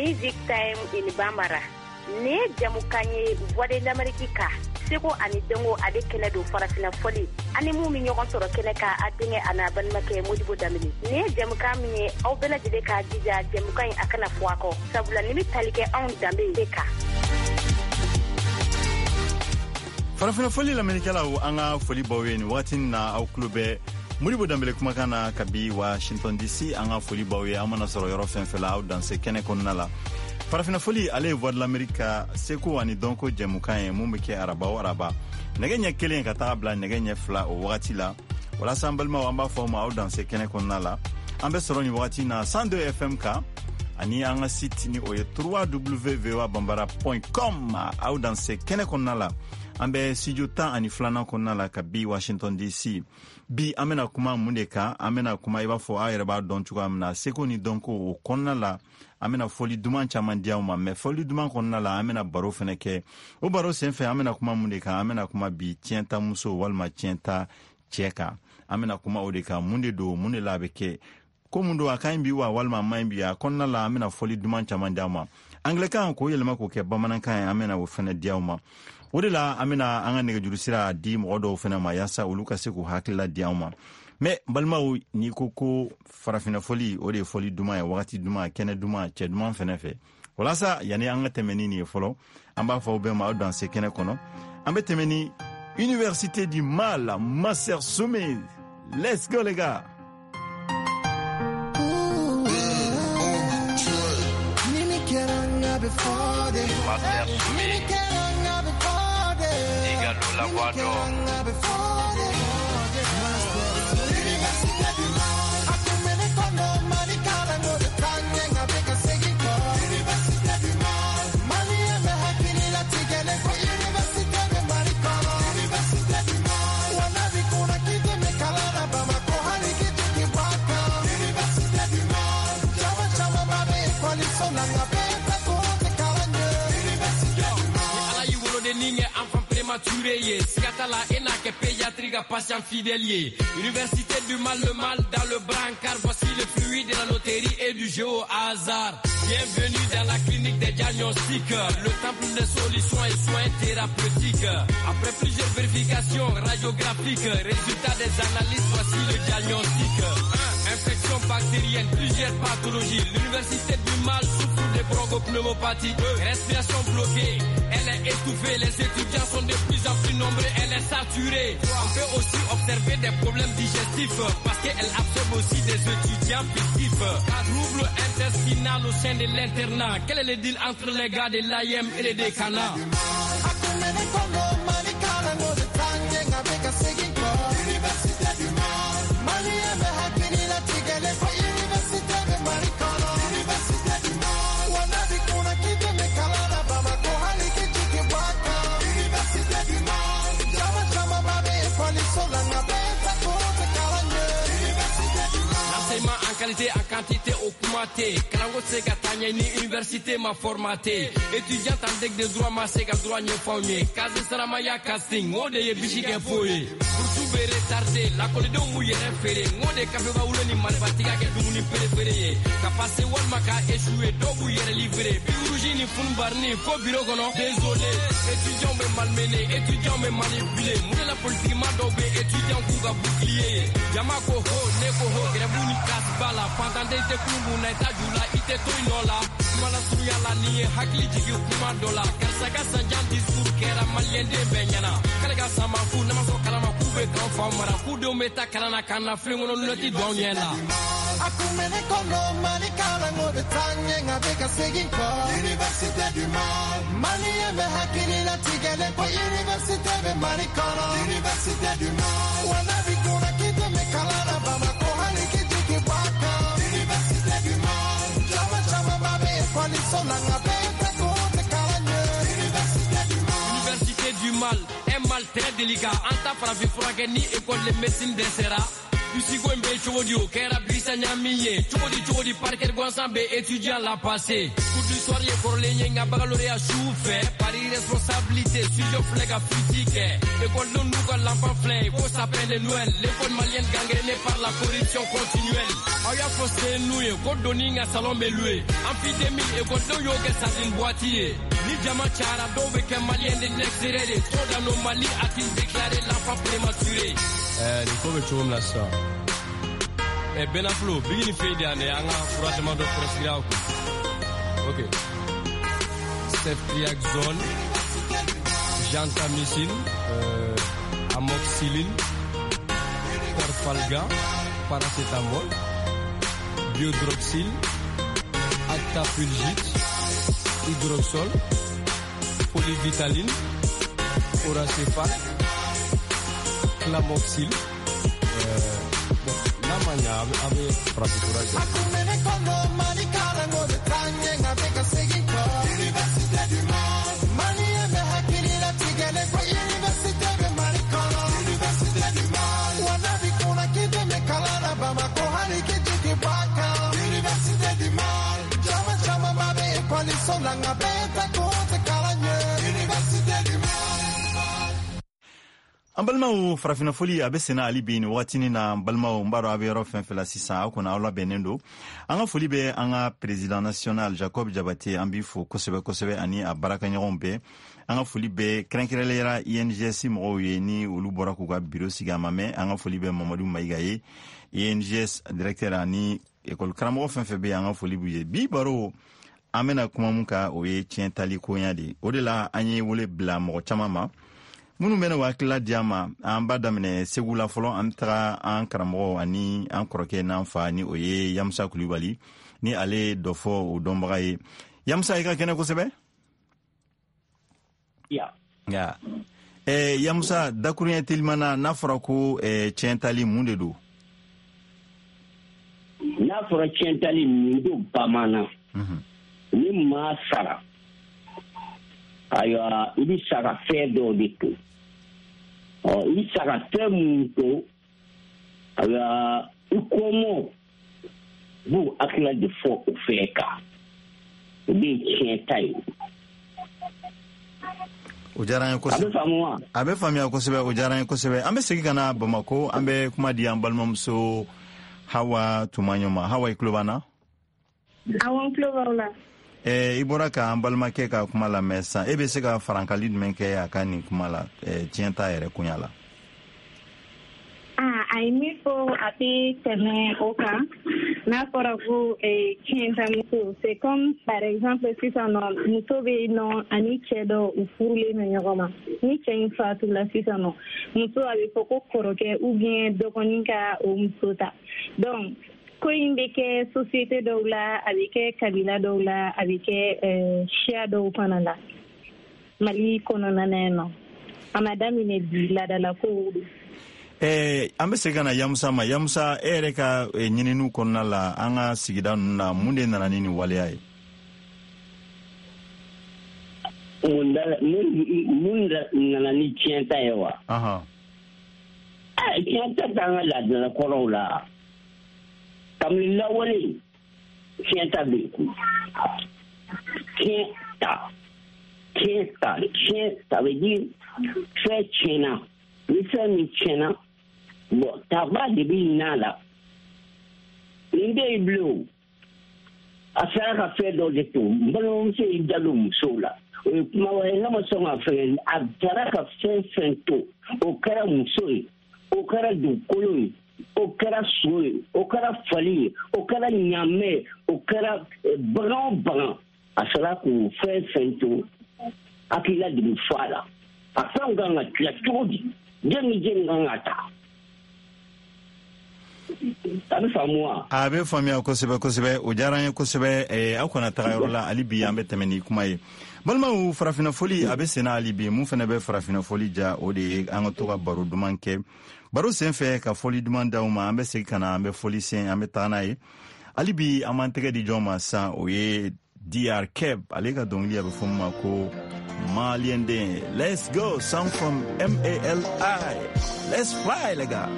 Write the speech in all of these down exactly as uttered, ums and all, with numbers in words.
Music Time in Bambara. Nin ye jamukan ye Voix de l'Amérique kan, seko ani dɔnko ale kɛnɛ don, farafinna fɔli ani mun bɛ ɲɔgɔn sɔrɔ kɛnɛ kan, a denkɛ a n'a balimakɛ Modibo Danbele. Nin ye jamukan min ye, aw bɛɛ lajɛlen k'a jija jamukan in a kana fɔ a kɔ, sabula nin bɛ tali kɛ anw danbe de kan. Farafinna fɔli lamɛnnikɛlaw, an ka foli b'aw ye nin wagati na. Aw tulo bɛ Modibo Danbele kumakan na kabi Washington D C. An ka foli b'aw ye, an mana sɔrɔ yɔrɔ fɛn fɛn la, aw danse kɛnɛ kɔnɔna la. Farafinna fɔli, ale ye Voix de l'Amérique ka seko ani dɔnko jɛmukan ye, mun bɛ kɛ araba o araba, nɛgɛ ɲɛ kelen ka taga bila nɛgɛ ɲɛ fila o wagati la. Walasa an balimaw, an b'a fɔ aw ma, aw danse kɛnɛ kɔnɔna la. An bɛ sɔrɔ nin wagati na cent deux F M kan ani an ka site, ni o ye w w w bambara com. Aw danse kɛnɛ kɔnɔna la. An bɛ studio tan ani filanan kɔnɔna la kabi Washington D C. Bi, an bɛna kuma mun de kan? An bɛna kuma, i b'a fɔ aw yɛrɛ b'a dɔn cogoya min na, seko ni dɔnko o kɔnɔna la. An bɛna fɔli duman caman di aw ma, mɛ fɔli duman kɔnɔna la, an bɛna baro fɛnɛ kɛ. O baro senfɛ, an bɛna kuma mun de kan? An bɛna kuma bi tiɲɛta muso walima tiɲɛta cɛ kan. An bɛna kuma o de kan. Mun de don? Mun de la a bɛ kɛ? Ko mun don? A ka ɲi bi wa, walima a man ɲi bi? A kɔnɔna la, an bɛna fɔli duman caman di aw ma. Angilɛkan k'o yɛlɛma k'o kɛ bamanankan ye, an bɛna o fɛnɛ di aw ma. O de la, an bɛna an ka nɛgɛjuru sira di mɔgɔ dɔw fɛnɛ ma, yaasa olu ka se k'u hakilila di anw ma. Mɛ balimaw, n'i ko ko farafinna fɔli, o de ye fɔli duman ye, wagati duman, kɛnɛ duman, cɛ duman fɛnɛ fɛ. Walasa yanni an ka tɛmɛ ni nin ye fɔlɔ, an b'a fɔ aw bɛɛ ma, aw danse kɛnɛ kɔnɔ. An bɛ tɛmɛ ni Université du Mal, Master Sommet. Let's go les gars. Master Soumy, Igalo la voix d'or. Université du Mal. Université du Mal. Malien bɛ hakili latigɛlen ko université bɛ Mali kɔnɔ. Université du Mal. Wa n'a b'i kunna k'i dɛmɛ kalan na Bamakɔ, hali k'i jigin bɔ a kan. Université du Mal. Caman camanba bɛ ekɔliso la, nka bɛɛ ta ko tɛ kalan ɲɛ. Université du Mal. Ala y'i woloden kɛ enfant prématuré ye, siga t'a la, e n'a kɛ pédiatrie ka patient fidèle ye. Université du Mal, le mal dans le brancard, voici le fruit de la loterie et du jeu au hasard. Bienvenue dans la clinique des diagnostics, le temple des solutions et soins thérapeutiques. Après plusieurs vérifications radiographiques, résultat des analyses, voici le diagnostic. un. Infection bactérienne, plusieurs pathologies. L'université du Mal souffre de bronchopneumopathie. deux. Respiration bloquée, elle est étouffée. Les étudiants sont de plus en plus nombreux, elle est saturée. On peut aussi observer des problèmes digestifs parce qu'elle absorbe aussi des étudiants fictifs. Trouble intestinal au sein de l'internat. Quel est le deal entre les gars de l'A I M et les décanats? A kun bɛ ne kɔnɔ, Mali kalanko bɛ taa ɲɛ, nka bɛ ka segin kɔ. Université du Mal. Malien bɛ hakili latigɛlen ko université bɛ Mali kɔnɔ. Université du Mal. Wa n'a b'i kunna k'i dɛmɛ kalan na Bamakɔ, hali k'i jigin bɔ a kan. Université du Mal. Caman camanba bɛ ekɔliso la, nka bɛɛ ta ko tɛ kalan ɲɛ. Université du Mal. L'enseignement en qualité, en quantité o kuma tɛ. Kalanko tɛ se ka taa ɲɛ ni université ma formaté. Étudiant en deck de droit ma se ka droit ɲɛfɔ anw ye. Case saramaya casting, o de ye bisi kɛ fo ye. Bourse bɛ retardé, lakɔlidenw b'u yɛrɛ feere. N ko de kafeba wolo ni marifatigiya kɛ dumuni préféré ye. Ka passer walima ka échouer, dɔw b'u yɛrɛ livrer. Bic rouge ni funubarini fo bureau kɔnɔ. Désolé, étudiants bɛ malmené, étudiants bɛ manipulé. Mun de la politique ma dɔw bɛ étudiants k'u ka bouclier ye? Jama ko ho, ne ko ho, grève ni casse ba la. Fantanden tɛ kun kun na, i t'a ju la, i tɛ to i nɔ la. Kuma la surunya la, nin ye hakili jigin kuma dɔ la. Karisa ka sanjan discours kɛra maliyɛn den bɛɛ ɲɛna. K'ale ka sama fu, n'a ma sɔn kalama k'u bɛ k'an fa mara. K'u denw bɛ taa kalan na k'an na filen kɔnɔ lunette don anw ɲɛ la. A kun bɛ ne kɔnɔ, Mali kalanko bɛ taa ɲɛ, nka bɛ ka segin kɔ. Université du Mal. Malien bɛ hakili latigɛlen ko université bɛ Mali kɔnɔ. Université du Mal. Wa n'a b'i kunna k'i dɛmɛ kalan na Bamakɔ, hali k'i jigin bɔ a kan. Université du Mal. Caman camanba bɛ ekɔliso la, nka bɛɛ ta ko tɛ kalan ɲɛ. Université du Mal. Université du Mal, un mal très délicat. An ta farafin furakɛ ni école de médecine dɛsɛra. Bisi ko in bɛ cogo di? O kɛra bisi. kisɛ ɲami ye cogo di cogo di parquet gansan bɛ étudiant la passé cours du soir ye kɔrɔlen ye nka baccalauréat su fɛ pari responsabilité studio filɛ ka fuite kɛ école n'u ka l'enfant filɛ ko sapin de Noël l'école malienne gangrénée par la corruption continuelle aw y'a fɔ sen n'u ye ko doni ka salon bɛ loué amphi deux mille écoledenw y'o kɛ sardine boîte ye ni jama cayara dɔw bɛ kɛ malien de l'extérieur ye trop d'anomalie a-t-il déclaré l'enfant prématuré. Ɛɛ nin ko bɛ cogo min na sisan ɛ Benaflo bigi ni fɛn de yan dɛ an ka fura damadɔ prescrire aw kun ok ceftriaxone gentamicine euh, amoxicilline perfalgan paracétamol biodroxyl, actapulgite, hydroxol, polyvitaline, oracéphale, clamoxyl. Euh, bon, n'a ma ɲa a bɛ a bɛ farafin fura jɔ. An balimaw farafinna foli a bɛ senna hali bi nin wagatinin na. N balimaw n b'a dɔn a bɛ yɔrɔ fɛn fɛn la sisan aw kɔni aw labɛnnen don. An ka foli bɛ an ka président national Jacob Jabate, an b'i fo kosɛbɛ kosɛbɛ ani a baarakɛɲɔgɔnw bɛɛ. An ka foli bɛ kɛrɛnkɛrɛnnenya I N G S mɔgɔw ye ni olu bɔra k'u ka biro sigi a ma mɛn. An ka foli bɛ Mamadu Mayiga ye I N G S directeur ani école karamɔgɔ fɛn fɛn bɛ yen, an ka foli b'u ye. Bi baro an bɛna kuma mun kan o ye tiɲɛ tali koɲa de ye. O de la an ye wele bila mɔgɔ caman ma minnu bɛna hakilila di an ma. An b'a daminɛ Segu la fɔlɔ, an bɛ taga an karamɔgɔ ani an kɔrɔkɛ n'an fa ni o ye Yamusa Kulubali ni ale ye dɔ fɔ o dɔnbaga ye. Yamusa, i ka kɛnɛ kosɛbɛ. Ya. Ya. Eh, Yamusa, dakuruɲɛ telimana, n'a fɔra ko eh, tiɲɛ tali mun de don? N'a fɔra tiɲɛ tali mun don bamanan? Ni maa sara, ayiwa i bɛ sa ka fɛn dɔw de to. Ɔ i bɛ sa ka fɛn mun to, ayiwa i kɔmɔ b'u hakilila de fɔ o fɛn kan. O de ye tiɲɛ ta ye. O diyara n ye kosɛbɛ. A bɛ faamu wa? A bɛ faamuya kosɛbɛ, o diyara n ye kosɛbɛ. An bɛ segin ka na Bamakɔ, an bɛ kuma di an balimamuso Hawa Tumaɲɔ ma. Hawa, i tulo b'an na? Awɔ, n tulo b'aw la. Eh, i bɔra k'an balimakɛ ka kuma lamɛn sisan, e bɛ se ka farankali jumɛn kɛ a ka nin kuma la, eh, tiɲɛ t'a yɛrɛ koɲa la? Ah, a ye min fɔ a tɛ tɛmɛ o kan. N'a fɔra ko eh, tiɲɛ ta muso, c'est comme par exemple sisan nɔ muso bɛ yen nɔ ani cɛ dɔ u furulen bɛ ɲɔgɔn ma. Ni cɛ in fatula sisan nɔ, muso a bɛ fɔ ko kɔrɔkɛ ou bien dɔgɔnin ka o muso ta. Donc ko in bɛ kɛ société dɔw la, a bɛ kɛ kabila dɔw la, a bɛ kɛ siya dɔw fana la Mali kɔnɔna na yan nɔ. A ma daminɛ bi, laadalakow don. Eh, an bɛ segin ka na Yamusa ma. Yamusa, e yɛrɛ ka ɲininiw kɔnɔna la an ka sigida ninnu na, mun de nana ni nin waleya ye? Mun nana ni tiɲɛ ta ye wa? Tiɲɛ ta t'an ka laadalakɔrɔw la. Kabini lawale tiɲɛ ta bɛ yen. Tiɲɛ ta, tiɲɛ ta, tiɲɛ ça veut dire fɛn tiɲɛna. Ni fɛn min tiɲɛna, bon taba de bɛ ɲin'a la. Nin tɛ yen bilen o. A sera ka fɛn dɔ de to. N balimamuso y'i da don musow la. O ye kuma wɛrɛ ye, ne ma sɔn ka fɛn. A taara ka fɛn fɛn to, o kɛra muso ye, o kɛra dugukolo ye, o kɛra so ye, o kɛra fali ye, o kɛra ɲaamɛ ye, o kɛra bagan o bagan. A sera k'o fɛn fɛn to, hakilila de bɛ fɔ a la. A fɛnw kan ka tila cogo di? Den ni den kan ka ta. A bɛ faamu wa? A bɛ faamuya kosɛbɛ kosɛbɛ. O diyara n ye kosɛbɛ. Aw kana taga yɔrɔ la hali bi, an bɛ tɛmɛ ni kuma ye. Balimaw, farafinna foli a bɛ senna hali bi. Mun fana bɛ farafinna foli ja, o de ye an ka to ka baro duman kɛ. Baro sen fɛ ka foli duman d'aw ma, an bɛ segin ka na, an bɛ foli sen, an bɛ taga n'a ye. Hali bi an b'an tɛgɛ di jɔn ma sisan, o ye D R Keb, ale ka dɔnkili a bɛ fɔ min ma ko Malien den. Let's go, song from M A L I. Let's fly, les gars.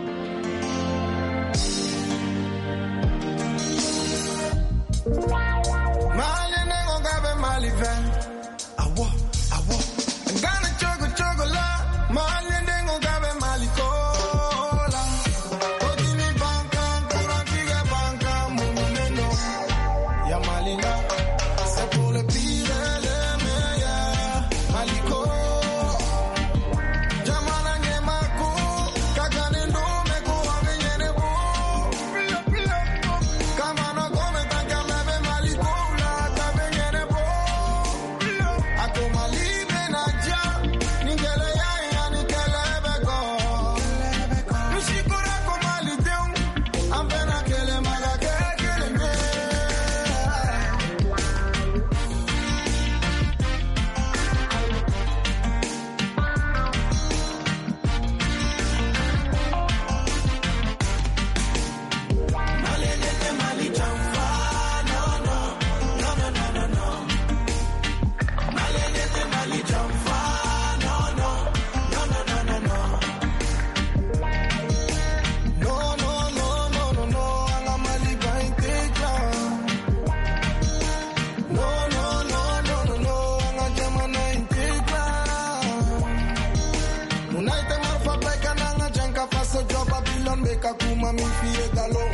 Fille galon.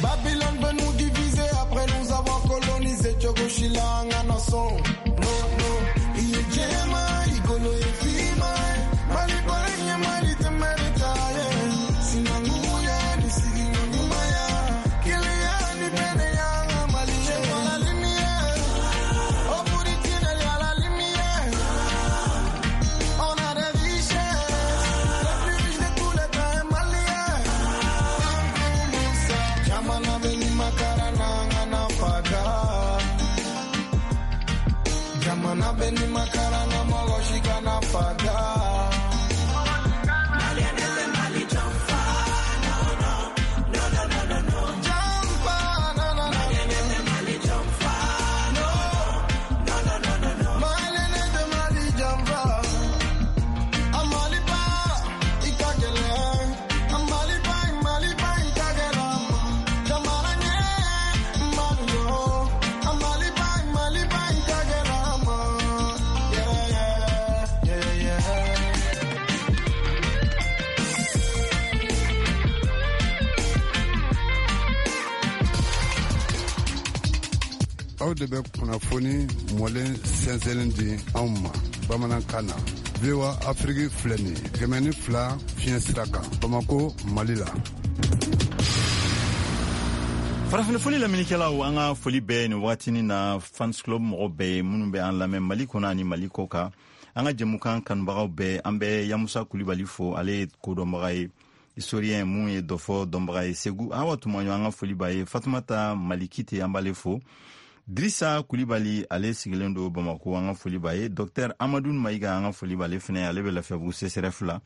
Babylone veut nous diviser après nous avoir colonisé. Tchogoshila nganason. No, no. Iye jema, igolo ye fima. Mali bolenye, mali temerita. Sinanguya, nisigi ngumaya. Kilia ni bene ya mali. La lumière. Au bout du tunnel, y'a la lumière. On a des richesses. Les plus riches de tous les temps est malien. Jamana beni makarana ngana faga. Jamana beni makarana mogoshika na faga. Jampa, na na na. Malene de Mali jampa. Amaliba, ikagele. Amaliba, Maliba, ikagela. Jamana nye, Maliyo. Amaliba, Maliba, ikagela. Yeah, yeah, yeah, yeah. Aw de bɛ kunnafoni mɔlen sɛnsɛnlen di anw ma bamanankan na. V O A Afrique filɛ nin ye kɛmɛ ni fila fiɲɛ sira kan Bamako, Mali la. Farafinfoli lamɛnnikɛlaw, an ka foli bɛɛ nin wagatinin na fans club mɔgɔ bɛɛ ye minnu bɛ an lamɛn Mali kɔnɔ ani Mali kɔ kan. An ka jɛmukan kanubagaw bɛɛ, an bɛ Yamusa Kulibali fo, ale ye kodɔnbaga ye, historien mun ye dɔfɔ dɔnbaga ye Segu. Awa Tumaɲɔ, an ka foli b'a ye. Fatumata Malikite, an b'ale fo. Drissa Kulibali, ale sigilen don Bamako, an ka foli b'a ye. Docteur Amadou Mayiga, an ka foli b'ale fɛnɛ, ale bɛ Lafiyabugu C C R F la.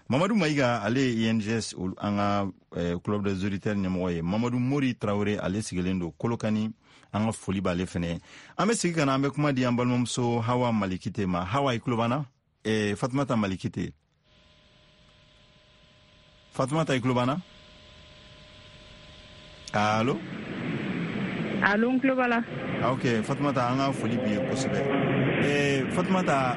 Mamadou Mayiga, ale ye I N G S olu- an ka eh, club des auditeurs ɲɛmɔgɔ ye. Mamadou Mori Traoré, ale sigilen don Kolokani, an ka foli b'ale fɛnɛ. An bɛ segin ka na, an bɛ kuma di an balimamuso Hawa Malikite ma. Hawa, i tulo b'an na? Eh, Fatumata Malikite. Fatumata, i tulo b'an na? Allo? Allo, n tulo b'a la. Ah, ok, Fatumata, an ka foli b'i ye kosɛbɛ. Eh, Fatumata,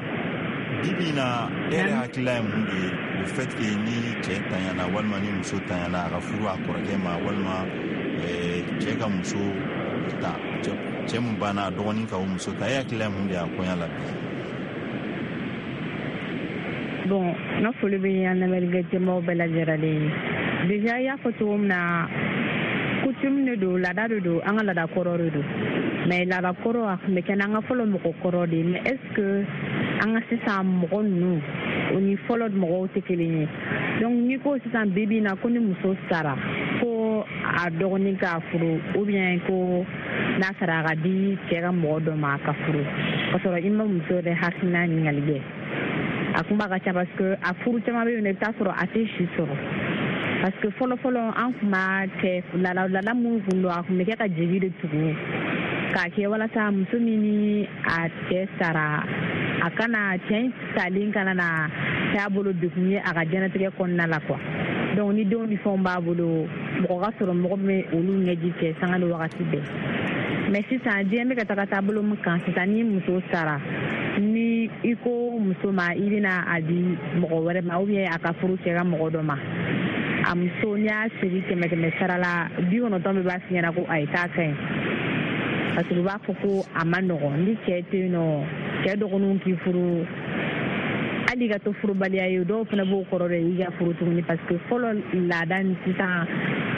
bi bi in na, e yɛrɛ hakilila ye mun de ye le fait que ni cɛ tanyana walima ni muso tanyana a ka furu a kɔrɔkɛ ma, walima eh, cɛ ka muso ta, cɛ cɛ mun banna a dɔgɔnin ka o muso ta, e hakilila ye mun de ye a koɲa la bi? Bon, n ka foli bɛ an lamɛnnikɛ jɛmaw bɛɛ lajɛlen ye. Déjà, i y'a fɔ cogo min na, coutume de don, laada de don, an ka laada kɔrɔ de don. Mais laada kɔrɔ a tun bɛ kɛ n'an ka fɔlɔ mɔgɔ kɔrɔ de ye. Mais est ce que an ka sisan mɔgɔ ninnu o ni fɔlɔ mɔgɔw tɛ kelen ye? Donc n'i ko sisan bi bi in na ko ni muso sara ko a dɔgɔnin k'a furu, ou bien ko n'a sara a ka di cɛ ka mɔgɔ dɔ ma a ka furu, ka sɔrɔ i ma muso yɛrɛ hakilina ɲininkali kɛ, a kuma ka ca, parce que a furu caman bɛ yen nɔ, i bɛ taa sɔrɔ a tɛ si sɔrɔ. Parce que fɔlɔ fɔlɔ an tun b'a kɛ laada laada minnu kun don, a tun bɛ kɛ ka jigi de tugu k'a kɛ walasa muso min ni a cɛ sara, a kana cɛ in salen kana na kɛ a bolo degun ye a ka diɲɛlatigɛ kɔnɔna la quoi. Donc ni denw ni fɛnw b'a bolo, mɔgɔ ka sɔrɔ mɔgɔ min bɛ olu ɲɛji cɛ sanga ni wagati bɛɛ. Mais sisan diɲɛ bɛ ka taga taabolo min kan sisan, ni muso sara, ni i ko muso ma i bɛna a di mɔgɔ wɛrɛ ma, ou bien a ka furu cɛ ka mɔgɔ dɔ ma, a muso n'i y'a sigi kɛmɛ kɛmɛ sara la, bi kɔnɔntɔn bɛɛ b'a f'i ɲɛna ko ayi, k'a ka ɲi, parce que u b'a fɔ ko a ma nɔgɔn ni cɛ tɛ yen nɔ, cɛ dɔgɔninw k'i furu, hali i ka to furubaliya ye, dɔw fana b'o kɔrɔ de i ka furu tuguni. Parce que fɔlɔ laada ni sisan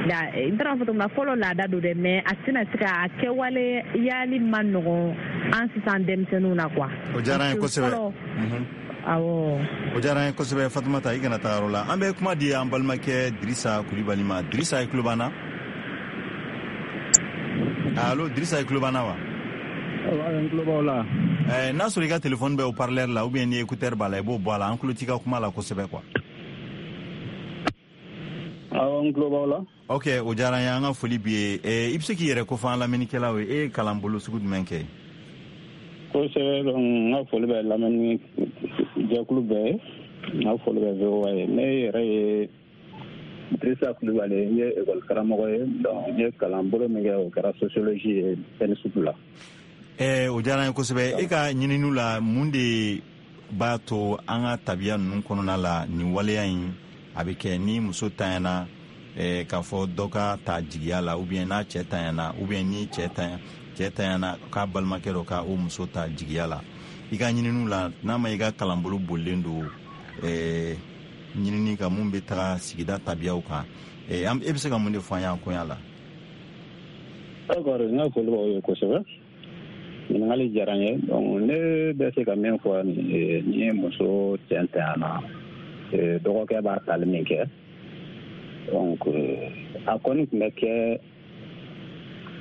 la, n taara fɔ cogo min na, fɔlɔ laada don dɛ, mais a tɛna se ka a kɛwale yali ma nɔgɔn an sisan denmisɛnninw na quoi. O diyara an ye Parce que kosɛbɛ. fɔlɔ Mhm. awɔ. O diyara an ye kosɛbɛ. Fatumata, i kana taa yɔrɔ la, an bɛ kuma di an balimakɛ Drissa Kulibali ma. Drissa, i tulo b'an na? Allo, Drissa, i tulo b'an na wa? N tulo b'aw la. Eh, n'a sɔrɔ i ka téléphone bɛ haut-parleur la ou bien ni écouteur b'a la, i b'o bɔ a la, an tulo t'i ka kuma la kosɛbɛ quoi. Awɔ, n tulo b'aw la. Ok, o diyara an ye, an ka foli b'i ye. Eh, i bɛ se k'i yɛrɛ kofɔ an lamɛnnikɛlaw ye, e ye kalanbolo sugu jumɛn kɛ? Kosɛbɛ. Donc n ka foli bɛ lamɛnni jɛkulu bɛɛ ye, n ka foli bɛ V O A ye. Ne yɛrɛ ye Drissa Kulibali, n ye école karamɔgɔ ye. Donc n ye kalanbolo min kɛ, o kɛra sociologie ye ENSUP la. Eh, o diyara an ye kosɛbɛ. E ka ɲininiw la, mun de b'a to an ka tabiya ninnu kɔnɔna la nin waleya in a bɛ kɛ ni muso tanyana eh, k'a fɔ dɔ ka ta jigiya la, ou bien n'a cɛ tanyana, ou bien ni cɛ tanya cɛ tanyana k'a balimakɛ dɔ ka o muso ta jigiya la. I ka ɲininiw la, n'a ma i ka kalanbolo bolilen don eh, ɲinini kan mun bɛ taga sigida tabiyaw kan, eh, e bɛ se ka mun de fɔ an y'an koɲa la? D'accord, n ka foli b'aw ye kosɛbɛ. Ɲininkali diyara n ye. Donc ne bɛ se ka min fɔ ni ye muso cɛ tanyana, dɔgɔkɛ b'a tali min kɛ, donc a kɔni tun bɛ kɛ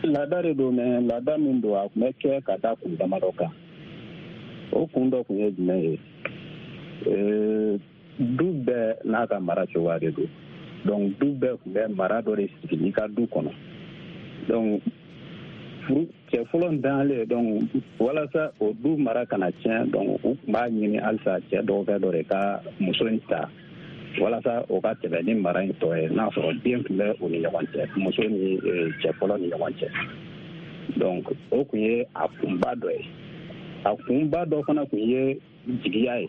laada de don, mais laada min don, a tun bɛ kɛ ka da kun damadɔ kan. O kun dɔ tun ye jumɛn ye? Du bɛɛ n'a ka mara cogoya de don. Donc du bɛɛ tun bɛ mara dɔ de sigi i ka du kɔnɔ. Donc furu cɛ fɔlɔ ntanyalen, donc walasa o du mara kana tiɲɛ, donc u tun b'a ɲini halisa cɛ dɔgɔkɛ dɔ de ka muso in ta walasa o ka tɛmɛ ni mara in tɔ ye, n'a sɔrɔ den tun bɛ u ni ɲɔgɔn cɛ, muso ni cɛ fɔlɔ ni ɲɔgɔn cɛ. Donc o tun ye a kunba dɔ ye. A kunba dɔ fana tun ye jigiya ye.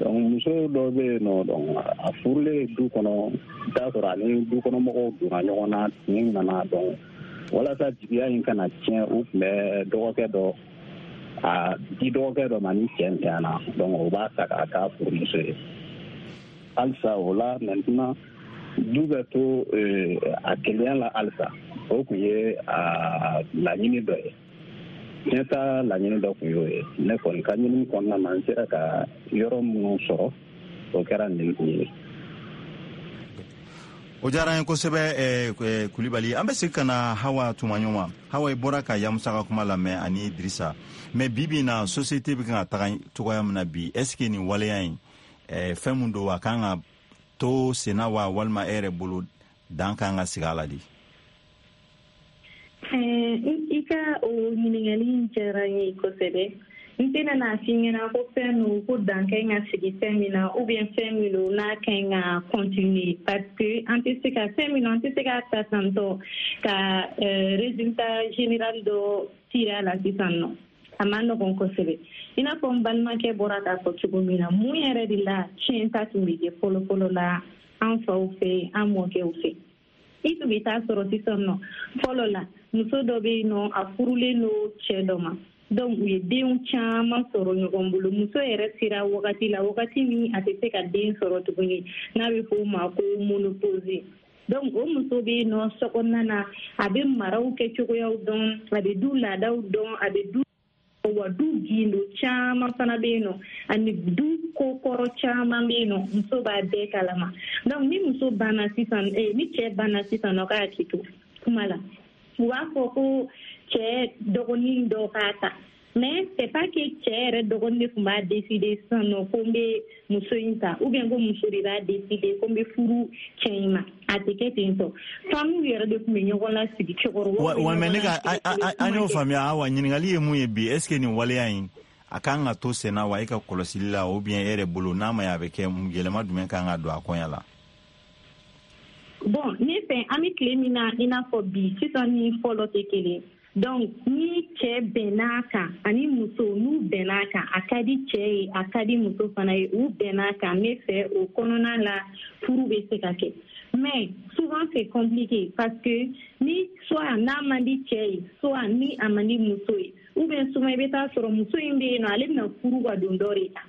Donc muso dɔ bɛ yen nɔ, donc a furulen du kɔnɔ, i t'a sɔrɔ ani du kɔnɔmɔgɔw donna ɲɔgɔn na, tin nana. Donc walasa jigiya in kana tiɲɛ, u tun bɛ dɔgɔkɛ dɔ a di dɔgɔkɛ dɔ ma ni cɛ ntanyana, donc o b'a ta k'a k'a furumuso ye. Halisa o la maintenant du bɛ to a kelenya la halisa. O tun ye a laɲini dɔ ye. Tiɲɛta laɲini dɔ tun y'o ye. Ne kɔni ka ɲinini kɔnɔna na, n sera ka yɔrɔ minnu sɔrɔ, o kɛra nin kun ye. O diyara an ye kosɛbɛ, Kulibali. An bɛ segin ka na Hawa Tumaɲɔgɔn. Hawa, i bɔra ka Yamusa ka kuma lamɛn ani Dirisa. Mais bi bi in na, société bɛ kan ka taga cogoya min na bi, est ce que nin waleya in, fɛn mun don, a kan ka to senna wa, walima e yɛrɛ bolo dan kan ka sigi a la de? I ka o ɲininkali in diyara n ye kosɛbɛ. N tɛna n'a f'i ɲɛna ko fɛn don ko dan ka ɲi ka sigi fɛn min na, ou bien fɛn min don n'a ka ɲi ka continuer, parce que an tɛ se ka fɛn min don, an tɛ se k'a ta tantɔ ka résultat général dɔ tirer a la sisan nɔ. A ma nɔgɔn kosɛbɛ. I n'a fɔ n balimakɛ bɔra k'a fɔ cogo min na, mun yɛrɛ de la tiɲɛ ta tun bɛ kɛ fɔlɔ-fɔlɔ la an faw fɛ, an mɔkɛw fɛ? I tun bɛ taa sɔrɔ sisan nɔ, fɔlɔ la muso dɔ bɛ yen nɔ, a furulen don cɛ dɔ ma, donc u ye denw caman sɔrɔ ɲɔgɔn bolo. Muso yɛrɛ sera wagati la, wagati min a tɛ se ka den sɔrɔ tuguni, n'a bɛ fɔ o ma ko ménopause. Donc o muso bɛ yen nɔ so kɔnɔna na, a bɛ maraw kɛ cogoyaw dɔn, a bɛ du laadaw dɔn, a bɛ du wa du gindo caman fana bɛ yen nɔ, ani du ko kɔrɔ caman bɛ yen nɔ, muso b'a bɛɛ kalama. Donc ni muso banna sisan, eh, ni cɛ banna sisan nɔ k'a k'i to kuma la, u b'a fɔ ko cɛ dɔgɔnin dɔ k'a ta. Mais c'est pas que cɛ yɛrɛ dɔgɔnin de tun b'a décider sisan nɔ ko n bɛ muso in ta, ou bien ko muso de b'a décider ko n bɛ furu cɛ in ma. A tɛ kɛ ten tɔ. Famille yɛrɛ de tun bɛ ɲɔgɔn lasigi, cɛkɔrɔbaw. Wa mais ne ka an y'o faamuya. Awa, ɲininkali ye mun ye bi, est ce que nin waleya in a kan ka to senna wa e ka kɔlɔsili la, ou bien e yɛrɛ bolo n'a ma ɲɛ a bɛ kɛ, yɛlɛma jumɛn kan ka don a kɔɲa la? Bon, ne fɛ an bɛ tile min na i n'a fɔ bi sisan ni fɔlɔ tɛ kelen. Donc ni cɛ bɛnn'a kan ani muso n'u bɛnn'a kan, a ka di cɛ ye, a ka di muso fana ye, u bɛnn'a kan, ne fɛ o kɔnɔna la furu bɛ se ka kɛ. Mais souvent c'est compliqué parce que ni soit n'a man di cɛ ye, soit ni a man di muso ye, ou bien souvent i bɛ taa sɔrɔ muso in bɛ yen nɔ, ale bɛna furu ka don dɔ de kan.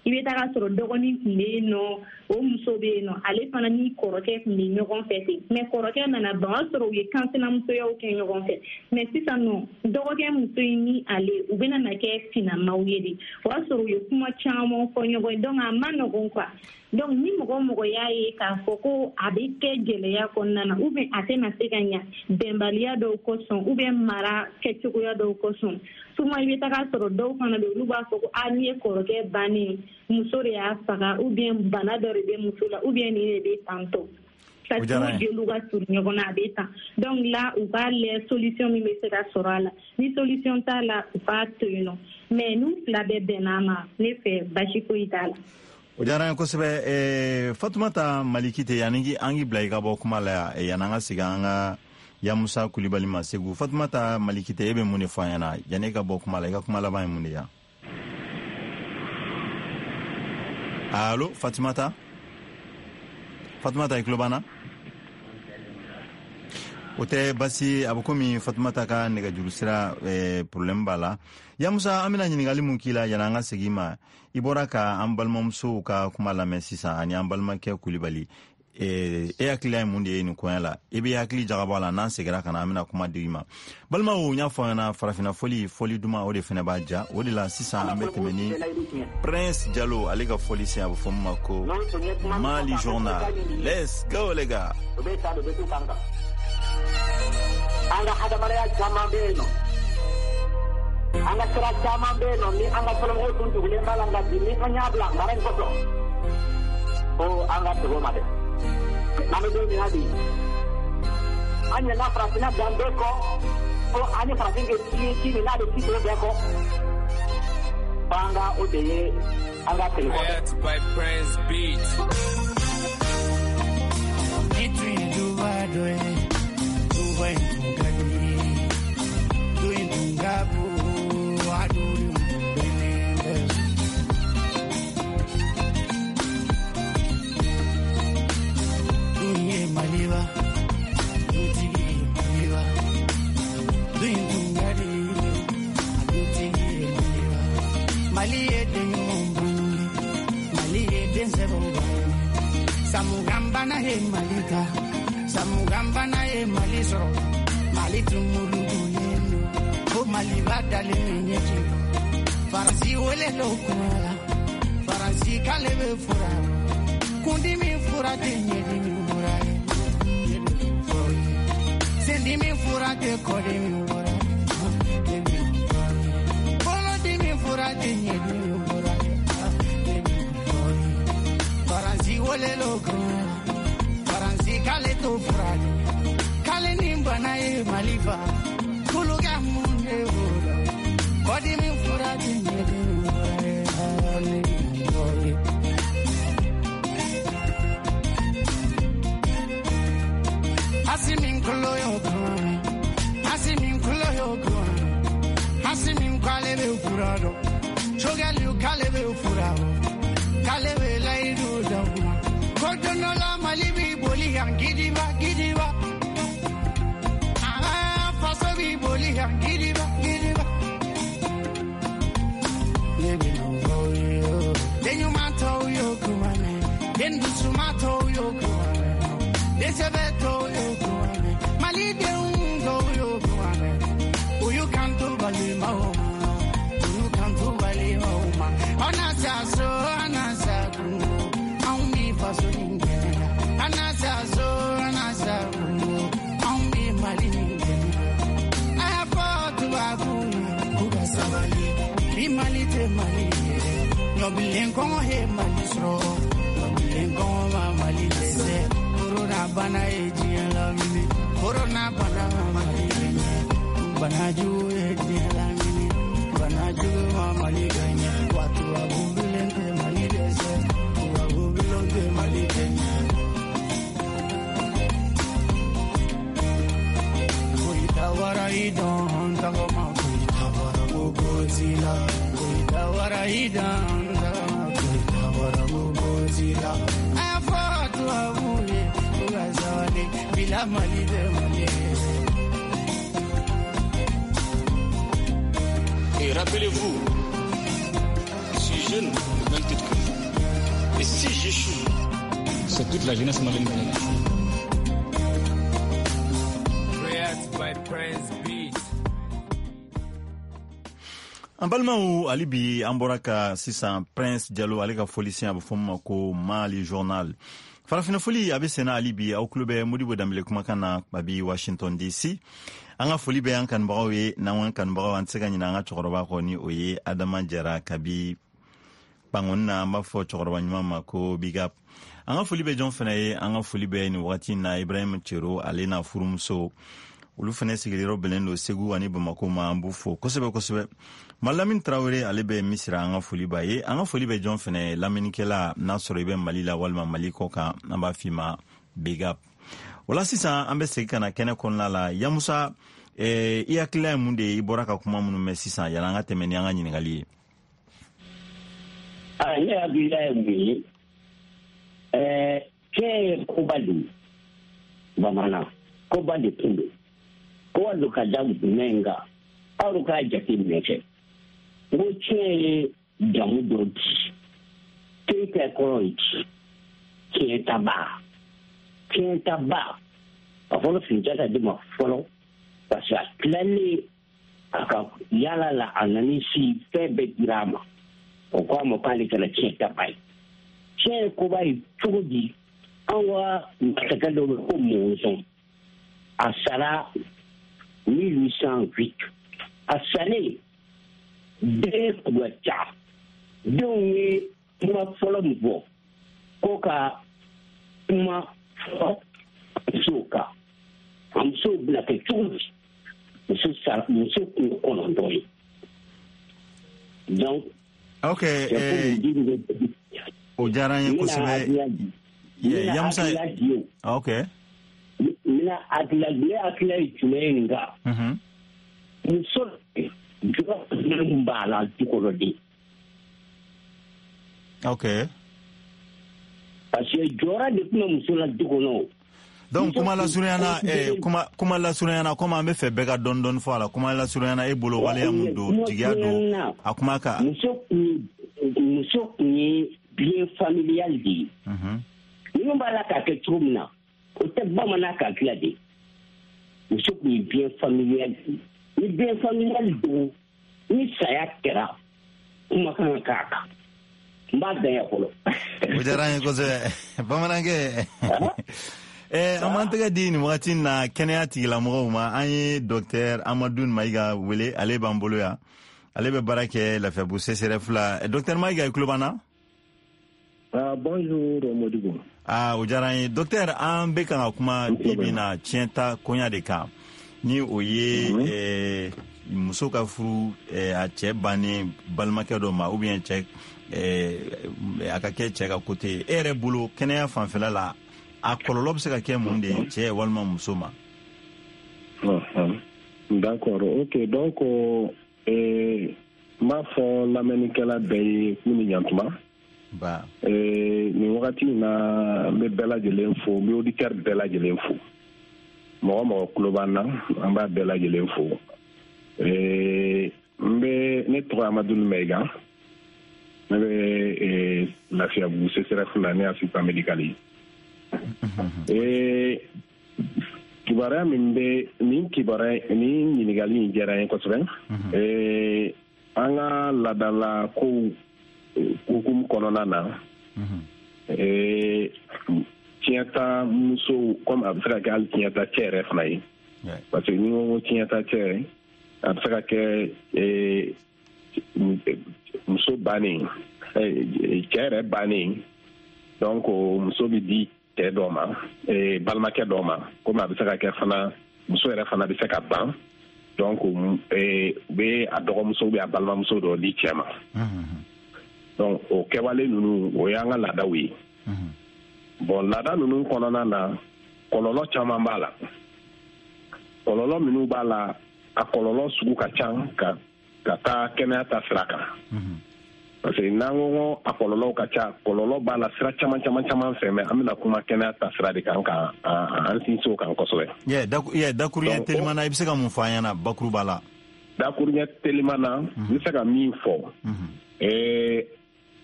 I bɛ taga sɔrɔ dɔgɔnin tun bɛ yen nɔ, o muso bɛ yen nɔ, ale fana ni kɔrɔkɛ tun bɛ ɲɔgɔn fɛ ten. Mais kɔrɔkɛ nana ban, o y'a sɔrɔ u ye kansinamusoyaw kɛ ɲɔgɔn fɛ. Mais sisan nɔ dɔgɔkɛ muso in ni ale u bɛna na kɛ sinamaw ye de. O y'a sɔrɔ u ye kuma caman fɔ ɲɔgɔn ye, donc a ma nɔgɔn quoi. Donc ni mɔgɔ mɔgɔ y'a ye k'a fɔ ko a bɛ kɛ gɛlɛya kɔnɔna na, ou bien a tɛna se ka ɲa bɛnbaliya dɔw kosɔn, ou bien mara kɛcogoya dɔw kosɔn, souvent i bɛ taga sɔrɔ dɔw fana bɛ olu b'a fɔ ko a n'i ye kɔrɔkɛ bannen, muso de y'a faga, ou bien bana dɔ de bɛ muso la, ou bien nin de bɛ tantɔ. Parce que u jeliw ka surun ɲɔgɔn na, a bɛ tan. Donc là u k'a lajɛ solution min bɛ se ka sɔrɔ a la. Ni solution t'a la, u k'a to yen nɔ. Mais n'u fila bɛɛ bɛnn'a ma, ne fɛ basi foyi t'a la. O diyara n ye kosɛbɛ. Fatumata Malikite, yanni an k'i bila i ka bɔ kuma la, yanni an ka segin an ka Yamusa Kulibali ma Segu. Fatumata Malikite, e bɛ mun de fɔ an ɲɛna yanni e ka bɔ kuma la? I ka kuma laban ye mun de ye? Allo, Fatumata? Fatumata, i tulo b'an na? O tɛ basi, a bɛ komi Fatumata ka nɛgɛjuru sira eh, problème b'a la. Yamusa, an bɛna ɲininkali mun k'i la yanni an ka segin i ma, i bɔra ka an balimamusow ka kuma lamɛn sisan ani an balimakɛ Kulibali. E hakilila ye mun de ye nin koɲɛ la? I bɛ hakili jagabɔ a la, n'an seginna ka na, an bɛna kuma di i ma. Balimaw, n y'a fɔ aw ɲɛna, farafinna fɔli, fɔli duman, o de fɛnɛ b'a ja. O de la sisan an bɛ tɛmɛ ni Prince Jalo ale ka fɔli sen, a bɛ fɔ min ma ko Mali Journal. Let's go les gars. An ka hadamadenya caman bɛ yen nɔ, an ka sira caman bɛ yen nɔ ni an ka fɔlɔmɔgɔw tun tugulen b'a la, nka bi ni an y'a bila mara in kɔsɔn, ko an ka segin o ma dɛ. N'an bɛ don min na bi, an ɲinɛna farafinna danbe kɔ, ko an ni farafin kɛ ci ye ci min n'a bɛ ci tɔw bɛɛ kɔ, f'an ka o de ye an ka segin kɔ dɛ. Ni tun ye duba dɔ ye, duba in tun ka di, du in tun ka bon, a dudenw tun bɛnnen bɛ. Du in ye Maliba, dutigi ye Maliba, du in tun ka di, a dutigi ye Maliba. Mali ye den ɲumanw bange, Mali ye den sɛbɛw bange. Samugambana ye Mali ta, Samugambana ye Mali sɔrɔ, Mali tun mulukulen don, ko Maliba dalen bɛ ɲɛji. Faransi wele lo kuma la, Faransi k'ale bɛ fura, kundimi fura tɛ ɲɛdimi fura ye, sendimi fura tɛ kɔdimi fura ye, bolodimi fura tɛ ɲɛdimi fura ye. Faransi wele lo kuma la, Faransi k'ale t'o fura dɔn, k'ale ni bana ye Mali fa, kulu ka mun de b'o la, kɔdimi fura tɛ ɲɛdimi fura ye, ne b'o ye. Asimi nkolo y'o kuma, Asimi nkolo y'o kuma, Asimi k'ale bɛ fura dɔn, Sogɛliw k'ale bɛ fura dɔn, k'ale bɛ layidu d'aw ma, ko don dɔ la Mali b'i boli yan gidiba gidiba, ah faso b'i boli yan gidiba gidiba. Ne bɛ n'o fɔ aw ye o, den ɲuman tɔw y'o kuma mɛn, den dusuma tɔw y'o kuma mɛn, den sɛbɛ tɔw y'o kuma mɛn, Malidenw tɔw y'o kuma mɛn, u y'u kanto balimaw ma, u y'u kanto balimaw ma, aw na sa so, aw na sa kungo, anw b'i faso nin dɛmɛ, aw na sa so, aw na sa kungo, anw b'i Mali nin dɛmɛ. A y'a fɔ tubabuw ye k'u ka sabali, bi Mali tɛ Mali ye, ɲɔbilen kɔngɔ ye Mali sɔrɔ, ɲɔbilen kɔngɔ ma Mali dɛsɛ, korona bana ye diɲɛ lamini, korona bana ma Mali gɛɲɛ, bana jugu ye diɲɛ lamini, bana jugu ma Mali gɛɲɛ, wa tubabu bilen tɛ Mali dɛsɛ, tubabu bilen tɛ Mali gɛɲɛ. Koyita wara i dɔn tagama, koyita wara gogo zila, koyita wara i dɔn tagama, koyita wara gogo zila. A y'a fɔ tubabu ye k'u ka sabali, bila Mali tɛ Mali ye. Et rappelez-vous, je suis jeune au même titre que vous. Et si j'échoue, c'est toute la jeunesse malienne qui échoue. By Prince Beat. An balimaw, hali bi an bɔra ka sisan Prince Jalo ale ka fɔlisen, a bɛ fɔ min ma ko Mali Journal. Farafinna fɔli a bɛ senna hali bi, aw tulo bɛ Modibo Danbele kumakan na kabi Washington D C. An ka foli bɛ an kanubagaw ye, n'an kanubagaw an tɛ se ka ɲinɛ an ka cɛkɔrɔba kɔ, ni o ye Adama Jara kabi Bangoni na, an b'a fɔ cɛkɔrɔba ɲuman ma ko big up. An ka foli bɛ jɔn fana ye? An ka foli bɛ nin wagati in na Ibrahim Cero ale n'a furumuso, olu fana sigiyɔrɔ bɛnnen don Segu ani Bamako ma, an b'u fo kosɛbɛ kosɛbɛ. Malamin Tarawele ale bɛ Misira, an ka foli b'a ye. An ka foli bɛ jɔn fana ye? Lamɛnnikɛla, n'a sɔrɔ i bɛ Mali la walima Mali kɔ kan, an b'a f'i ma big up. O la sisan an bɛ segin ka na kɛnɛ kɔnɔna la. Yamusa, eh, i hakilila ye mun de ye i bɔra ka kuma minnu mɛn sisan, yanni an ka tɛmɛ ni an ka ɲininkali ye? Ah, ne hakilila ye mun ye, ɛɛ cɛ ye koba de ye bamanan. Koba de tun don. Koba don ka da jumɛn kan? Aw k'a jateminɛ kɛ. N ko tiɲɛ ye jamu dɔ di. Keyita kɔrɔ ye di. Tiɲɛtaba. Tiɲɛtaba. A fɔlɔ Sunjata de ma fɔlɔ. Parce que a tilalen a ka yala la, a nana si fɛn bɛɛ dira a ma. O ko a ma k'ale kɛra tiɲɛtaba ye. Tiɲɛ ye koba ye cogo di? An ka masakɛ dɔ bɛ ko Mɔnzɔn. A sara mille huit cent huit. A salen, den tun ka ca. Denw ye kuma fɔlɔ min fɔ ko ka kuma fɔ musow kan. A musow bɛna kɛ cogo di? Muso sara, muso kun ye kɔnɔntɔn ye. Donc, ok, o diyara n ye kosɛbɛ. Yamusa, ok. N bɛna hakilila, ne hakilila ye jumɛn ye nin kan? Muso jɔyɔrɔ jumɛn b'a la du kɔnɔ de? Ok. Parce que jɔyɔrɔ de tun bɛ muso la du kɔnɔ. Donc kuma lasurunyana, eh, kuma kuma lasurunyana, komi an bɛ fɛ bɛɛ ka dɔɔni dɔɔni fɔ a la, kuma lasurunyana e bolo waleya mun don, jigiya don a kuma kan? Muso kun muso kun ye bien familial de ye. Ninnu b'a la k'a kɛ cogo min na, o tɛ bamanan k'a tila de. Muso kun ye bien familial de ye. Ni bien familial don, ni saya kɛra, kuma kan ka k'a kan. N b'a dan yan fɔlɔ. O diyara n ye kosɛbɛ bamanankɛ. Eh, an b'an tɛgɛ di nin wagati na kɛnɛya tigilamɔgɔw ma. An ye docteur Amadu Mayiga wele, ale b'an bolo yan. Ale bɛ baara kɛ Lafiyabugu C C R F la. Docteur Mayiga, i tulo b'an na? Ah, bonjour Modibo. Ah, o diyara n ye. Docteur, an bɛ kan ka kuma bi bi na tiɲɛta koɲa de kan. Ni o ye eh, muso ka furu eh, a cɛ bannen balimakɛ dɔ ma, ou bien cɛ eh, a ka kɛ cɛ ka côté. E yɛrɛ bolo kɛnɛya fanfɛla la, a kɔlɔlɔ bɛ se ka kɛ mun de ye cɛ walima muso ma? D'accord, ok. Donc eh, n b'a fɔ lamɛnnikɛla bɛɛ ye k'u ni ɲantuma. Ba. Eh, nin wagati in na, n bɛ bɛɛ lajɛlen fo, n bɛ auditeur bɛɛ lajɛlen fo. Mɔgɔ mɔgɔ tulo b'an na, an b'a bɛɛ lajɛlen fo. Eh, n bɛ ne tɔgɔ Amadu Mayiga. Ne bɛ eh, Lafiyabugu C C R F la, ne ye assistant médical ye. Eh, kibaruya min bɛ nin kibaruya nin ɲininkali in diyara n ye kosɛbɛ. Eh, an ka laadala kow hukumu kɔnɔna na, eh, tiɲɛta musow, komi a bɛ se ka kɛ hali tiɲɛta cɛ yɛrɛ fana ye. Parce que ni n ko ko tiɲɛta cɛ, a bɛ se ka kɛ eh, muso bannen, cɛ yɛrɛ bannen, donc muso bɛ di cɛ dɔ ma, balimakɛ dɔ ma, komi a bɛ se ka kɛ fana muso yɛrɛ fana bɛ se ka ban, donc u bɛ a dɔgɔmuso ou bien a balimamuso dɔ di cɛ ma. Donc o kɛwale ninnu, o y'an ka laadaw ye. Bon, laada ninnu kɔnɔna na, kɔlɔlɔ caman b'a la. Kɔlɔlɔ minnu b'a la, a kɔlɔlɔ sugu ka ca ka ka taa kɛnɛya ta sira kan. Parce que n'an ko ko a kɔlɔlɔw ka ca, kɔlɔlɔ b'a la sira caman caman caman fɛ, mais an bɛna kuma kɛnɛya ta sira de kan ka an sinsin o kan kosɛbɛ. Yeah, dakuruɲɛ teliman na, i bɛ se ka mun fɔ an ɲɛna bakuruba la? Dakuruɲɛ teliman na, n bɛ se ka min fɔ, ee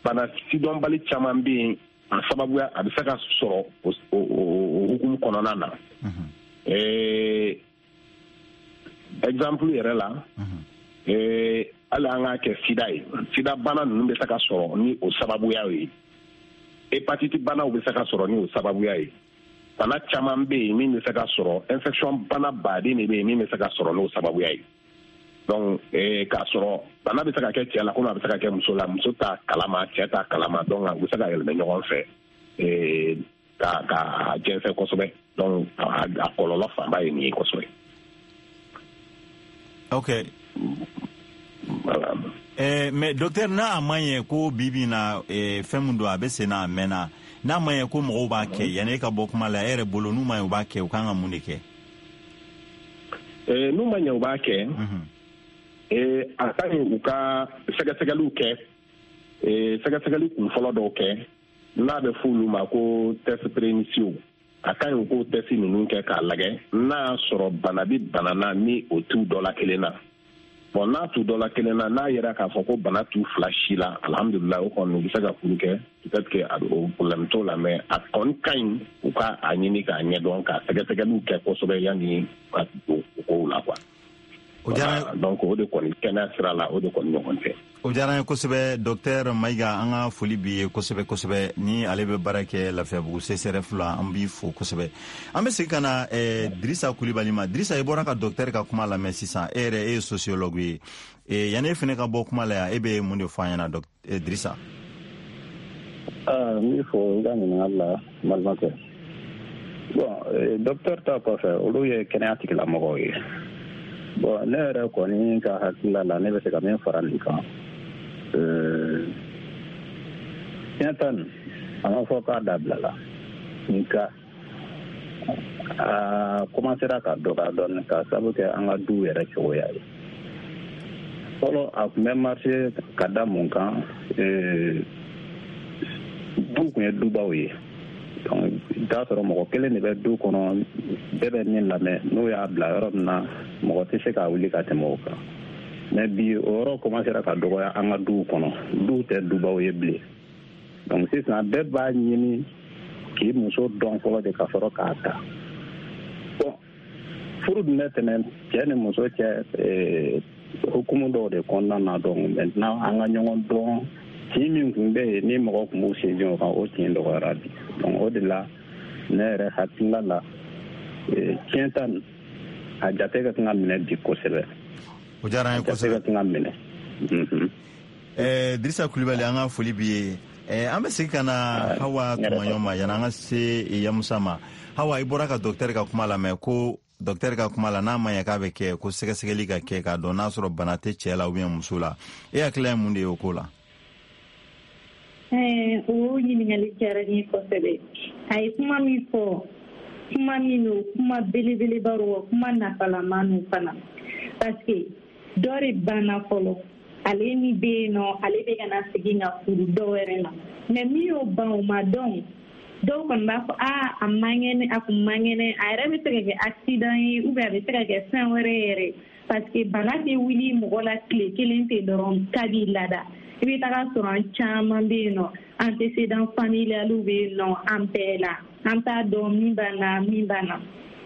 bana sidɔnbali caman bɛ yen, a sababuya a bɛ se ka sɔrɔ o o hukumu kɔnɔna na. Ee exemple yɛrɛ la, ee hali an k'a kɛ sida ye, sida bana ninnu bɛ se ka sɔrɔ ni o sababuya ye. Hépatite banaw bɛ se ka sɔrɔ ni o sababuya ye. Bana caman bɛ yen min bɛ se ka sɔrɔ, infection bana baden de bɛ yen min bɛ se ka sɔrɔ n'o sababuya ye. Donc eh, k'a sɔrɔ bana bɛ se ka kɛ cɛ la komi a bɛ se ka kɛ muso la, muso t'a kalama, cɛ t'a kalama, donc u bɛ se ka yɛlɛmɛ ɲɔgɔn fɛ eh, ka ka jɛnsɛn kosɛbɛ. Donc a, a kɔlɔlɔ fanba ye nin ye kosɛbɛ. Ok. Voilà. Eh, mais docteur, n'a ma ɲɛ ko bi bi na eh, fɛn min don a bɛ sen na a mɛnna, n'a ma ɲɛ ko mɔgɔw b'a kɛ, yanni e ka bɔ kuma la, e yɛrɛ bolo n'u ma ɲɛ u b'a kɛ, u kan ka mun de kɛ? Eh, n'u ma ɲɛ u b'a kɛ, eh, a ka ɲi u ka sɛgɛsɛgɛliw kɛ, eh, sɛgɛsɛgɛli kun fɔlɔ dɔw kɛ n'a bɛ f'olu ma ko test préinitiaux. A ka ɲi u k'o test ninnu kɛ k'a lajɛ n'a y'a sɔrɔ bana bɛ bana na ni o t'u dɔ la kelen na. Bon, n'a t'u dɔ la kelen na, n'a yɛrɛ k'a fɔ ko bana t'u fila si la, alhamdulilayi, o kɔni u bɛ se ka furu kɛ. Peut-être que a o problème t'o la, mais a kɔni ka ɲi u ka a ɲini k'a ɲɛdɔn, ka sɛgɛsɛgɛliw kɛ kosɛbɛ yanni ka don o kow la quoi. O diyara. Donc o de kɔni kɛnɛya sira la, o de kɔni ɲɔgɔn tɛ. O diyara an ye kosɛbɛ, docteur Mayiga. An ka foli b'i ye kosɛbɛ kosɛbɛ. Ni ale bɛ baara kɛ Lafiyabugu C S R F la, an b'i fo kosɛbɛ. An bɛ segin ka na eh, Dirisa Kulibali ma. Dirisa, i bɔra ka docteur ka kuma lamɛn sisan. E yɛrɛ, e ye sociologue ye. eh, yanni e fana ka bɔ kuma la yan, e bɛ mun de fɔ an ɲɛna, eh, Dirisa? N b'i fo i ka ɲininkali la, n balimakɛ. Bon, docteur ta kɔfɛ, olu ye kɛnɛya tigilamɔgɔw ye. Bon, ne yɛrɛ kɔni ka hakilila la, ne bɛ se ka min fara nin kan, tiɲɛ ta nin, a ma fɔ k'a dabilala, nka a commencera ka dɔgɔya dɔɔnin ka sabu kɛ an ka duw yɛrɛ cogoya ye. Fɔlɔ, a tun bɛ marché ka da mun kan? Du tun ye dubaw ye. Donc i t'a sɔrɔ mɔgɔ kelen de bɛ du kɔnɔ, bɛɛ bɛ min lamɛn, n'o y'a bila yɔrɔ min na, mɔgɔ tɛ se k'a wuli ka tɛmɛ o kan. Mais bi, o yɔrɔ commencera ka dɔgɔya an ka duw kɔnɔ. Duw tɛ dubaw ye bilen. Donc sisan, bɛɛ b'a ɲini k'i muso dɔn fɔlɔ de ka sɔrɔ k'a ta. Bon, furu dun bɛ tɛmɛ cɛ ni muso cɛ hukumu dɔw de kɔnɔna na. Donc maintenant, an ka ɲɔgɔn dɔn, tin min tun bɛ yen ni mɔgɔ tun b'u sinsin o kan, o tin dɔgɔyara bi. Donc o de la, ne yɛrɛ hakilila la, tiɲɛ ta nin, a jate ka kan ka minɛ bi kosɛbɛ. O diyara an ye kosɛbɛ, ka kan ka minɛ. Ɛɛ Dirisa Kulibali, an ka foli b'i ye. ɛɛ an bɛ segin ka na Hawa Tumaɲɔ ma yanni an ka se Yamusa ma. Hawa, i bɔra ka docteur ka kuma lamɛn ko docteur ka kuma la, n'a ma ɲɛ k'a bɛ kɛ ko sɛgɛsɛgɛli ka kɛ k'a dɔn n'a sɔrɔ bana tɛ cɛ la ou bien muso la, e hakilila ye mun de ye o ko la? O ɲininkali diyara n ye kosɛbɛ. A ye kuma min fɔ, kuma min don, kuma belebeleba don, wa kuma nafalama don fana, parce que dɔ de banna fɔlɔ, ale ni bɛ yen nɔ, ale bɛ ka na segin ka furu dɔ wɛrɛ ma. Mais min y'o ban, o ma dɔn. Dɔw kɔni b'a fɔ aa, a man kɛnɛ, a kun man kɛnɛ. A yɛrɛ bɛ se ka kɛ accident ye ou bien a bɛ se ka kɛ fɛn wɛrɛ yɛrɛ, parce que bana tɛ wuli mɔgɔ la tile kelen ten dɔrɔn k'a b'i lada. I bɛ taga sɔrɔ an caman bɛ yen nɔ, antécédent familial bɛ yen nɔ an bɛɛ la, an t'a dɔn min b'an na, min b'an na.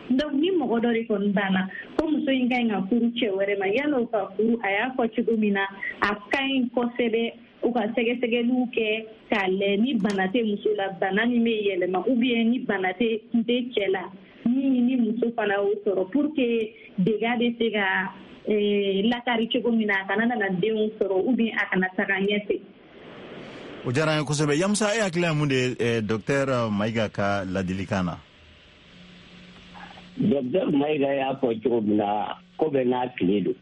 Donc ni mɔgɔ dɔ de kɔni banna ko muso in ka ɲi ka furu cɛ wɛrɛ ma, yan'o ka furu, a y'a fɔ cogo min na, a ka ɲi kosɛbɛ u ka sɛgɛsɛgɛliw kɛ k'a lajɛ ni bana tɛ muso la, bana min bɛ yɛlɛma, ou bien ni bana tɛ tɛ cɛ la min ni muso fana y'o sɔrɔ, pour que dégâts bɛ se ka lakari cogo min na, a kana nana denw sɔrɔ ou bien a kana taga ɲɛfɛ. O diyara an ye kosɛbɛ. Yamusa, e hakilila ye mun de ye docteur Mayiga ka ladilikan na? Docteur Mayiga y'a fɔ cogo min na, ko bɛɛ n'a tile don.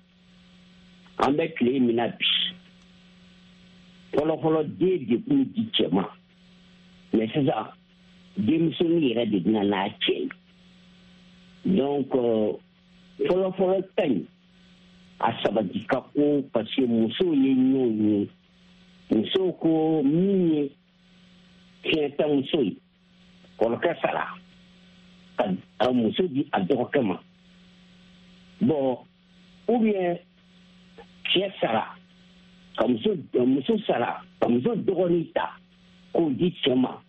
An bɛ tile min na bi, fɔlɔfɔlɔ, den de kun di cɛ ma, mais sisan denmisɛnnin yɛrɛ de bɛna n'a cɛ ye. Donc fɔlɔfɔlɔ ta in, a sabati ka ko, parce que musow ye ɲɔgɔn ye. Musow ko min ye tiɲɛtamuso ye, kɔrɔkɛ sara ka muso di a dɔgɔkɛ ma. Bon, ou bien cɛ sara ka muso muso sara ka muso dɔgɔnin ta k'o di cɛ ma,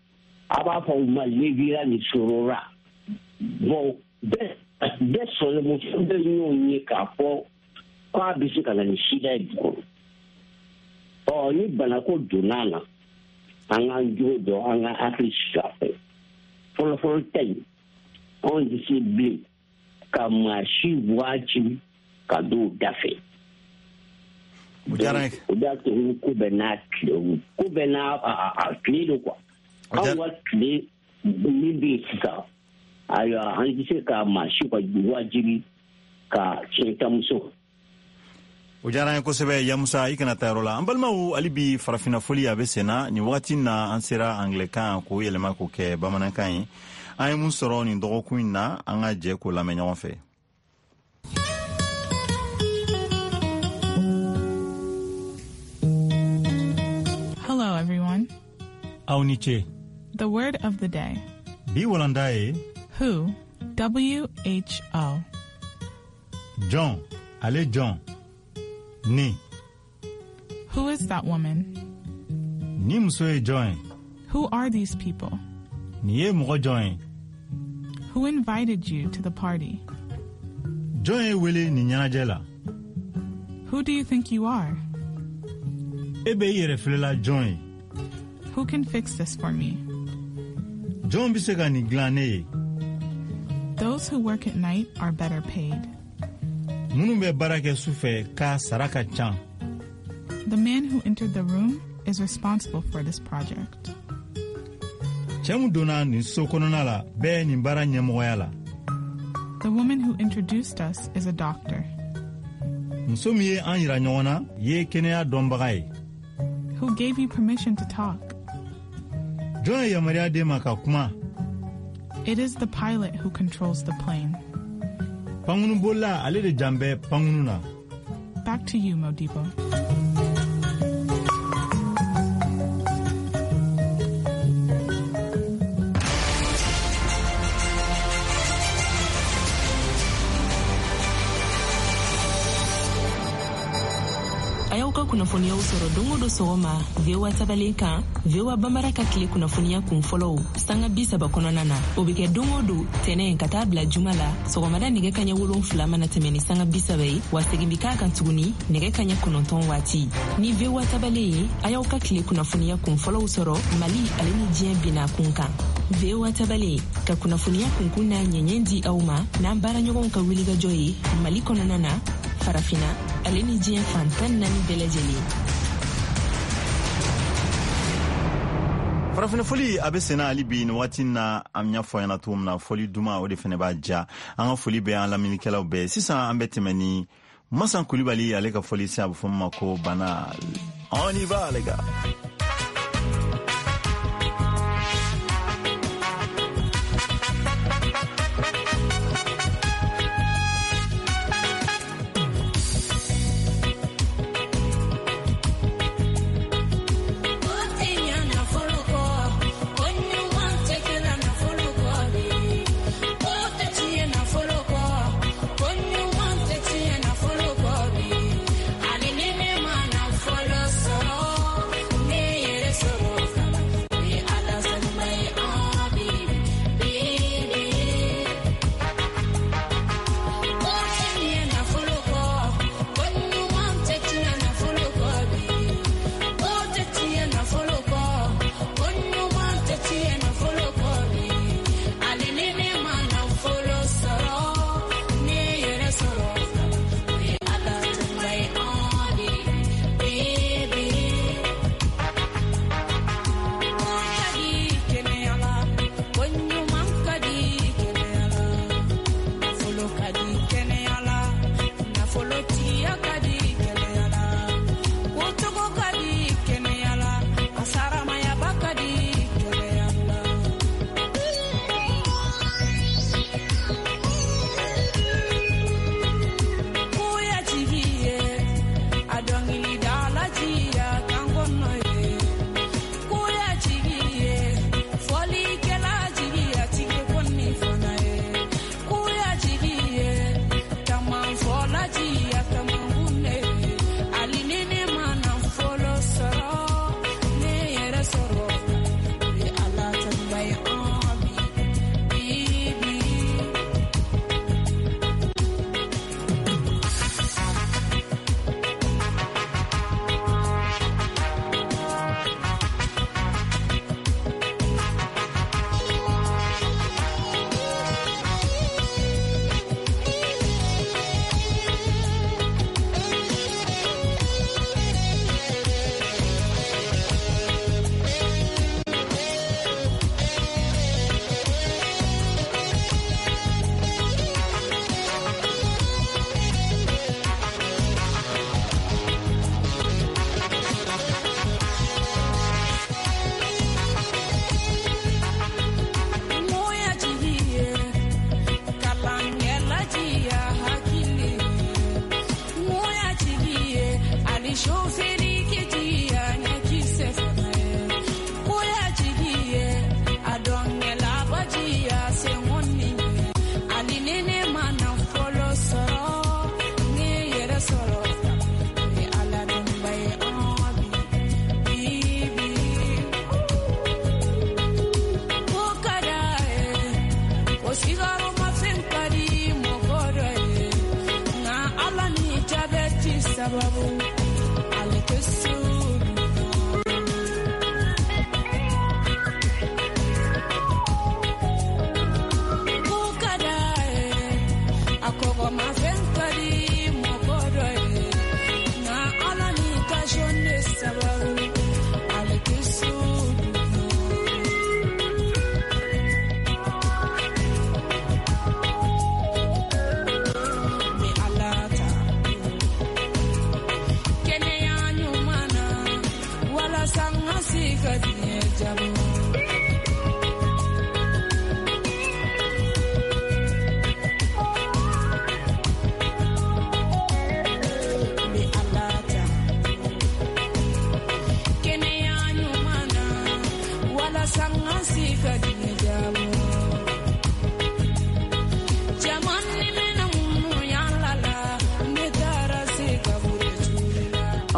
a b'a fɔ u ma lévirat ni sororat. Bon, bɛɛ bɛɛ sɔrɔ muso bɛ ɲɔgɔn ye k'a fɔ k'a bɛ se ka na ni sida ye du kɔnɔ. Ɔ, ni banako donna a la, an k'an jogo dɔn, an ka hakili sigi a fɛ. Fɔlɔfɔlɔ ta in, anw tɛ se bilen ka maa si wajibi ka don o da fɛ. O diyara n ye. O de y'a to ko bɛɛ n'a tile, ko bɛɛ n'a a tile don quoi. Anw ka tile min bɛ yen sisan, ayiwa, an tɛ se ka maa si ka wajibi ka tiɲɛtamuso. O diyara an ye kosɛbɛ. Yamusa, i kana taa yɔrɔ la. An balimaw, hali bi farafinna foli a bɛ sen na. Nin wagati na, an sera anglɛkan k'o yɛlɛma k'o kɛ bamanankan ye. An ye mun sɔrɔ nin dɔgɔkun in na, an ka jɛ k'o lamɛn ɲɔgɔn fɛ. Hello, everyone. Aw ni ce. The word of the day. Bi walanda ye Who? W H O. Jɔn, ale jɔn. Ni. Who is that woman? Nin muso ye jɔn ye? Who are these people? Nin ye mɔgɔ jɔn ye? Who invited you to the party? Jɔn ye wele nin ɲɛnajɛ la? Who do you think you are? E bɛ i yɛrɛ filɛla jɔn ye? Who can fix this for me? Jɔn bɛ se ka nin dilan ne ye? Those who work at night are better paid. Minnu bɛ baara kɛ su fɛ k'a sara ka ca. The man who entered the room is responsible for this project. Cɛ min donna nin so kɔnɔna la bɛɛ nin baara ɲɛmɔgɔya la. The woman who introduced us is a doctor. Muso min ye an yira ɲɔgɔn na ye kɛnɛya dɔnbaga ye. Who gave you permission to talk? Jɔn ye yamaruya d'e ma ka kuma? It is the pilot who controls the plane. Pankurunbolila ale de jan bɛ pankurun na. Back to you, Modibo. A y'aw ka kunnafoniyaw sɔrɔ don o don sɔgɔma V O A tabalen kan, V O A Bambara ka tile kunnafoniya kun fɔlɔw sanga bi saba kɔnɔna na. O bɛ kɛ don o don tɛnɛn ka taa bila juma la sɔgɔmada nɛgɛ kaɲɛ wolonfila mana tɛmɛ ni sanga bi saba ye, wa segin bɛ k'a kan tuguni nɛgɛ kaɲɛ kɔnɔntɔn waati. Ni V O A tabalen ye, a y'aw ka tile kunnafoniya kun fɔlɔw sɔrɔ Mali ale ni diɲɛ binna kun kan. V O A tabalen ka kunnafoniya kunkun n'a ɲɛɲɛ di aw ma n'an baaraɲɔgɔnw ka wulikajɔ ye Mali kɔnɔna na, Farafina ale ni diɲɛ fan tan naani bɛɛ lajɛlen. Farafina foli a bɛ senna hali bi nin waati na, an y'a fɔ ɲɛna cogo min na, foli duman o de fana b'a ja. An ka foli bɛ an lamɛnnikɛlaw bɛɛ. Sisan an bɛ tɛmɛ ni Masan Kulibali ale ka foli se, a bɛ fɔ min ma ko Bana. On y va les gars. Follow,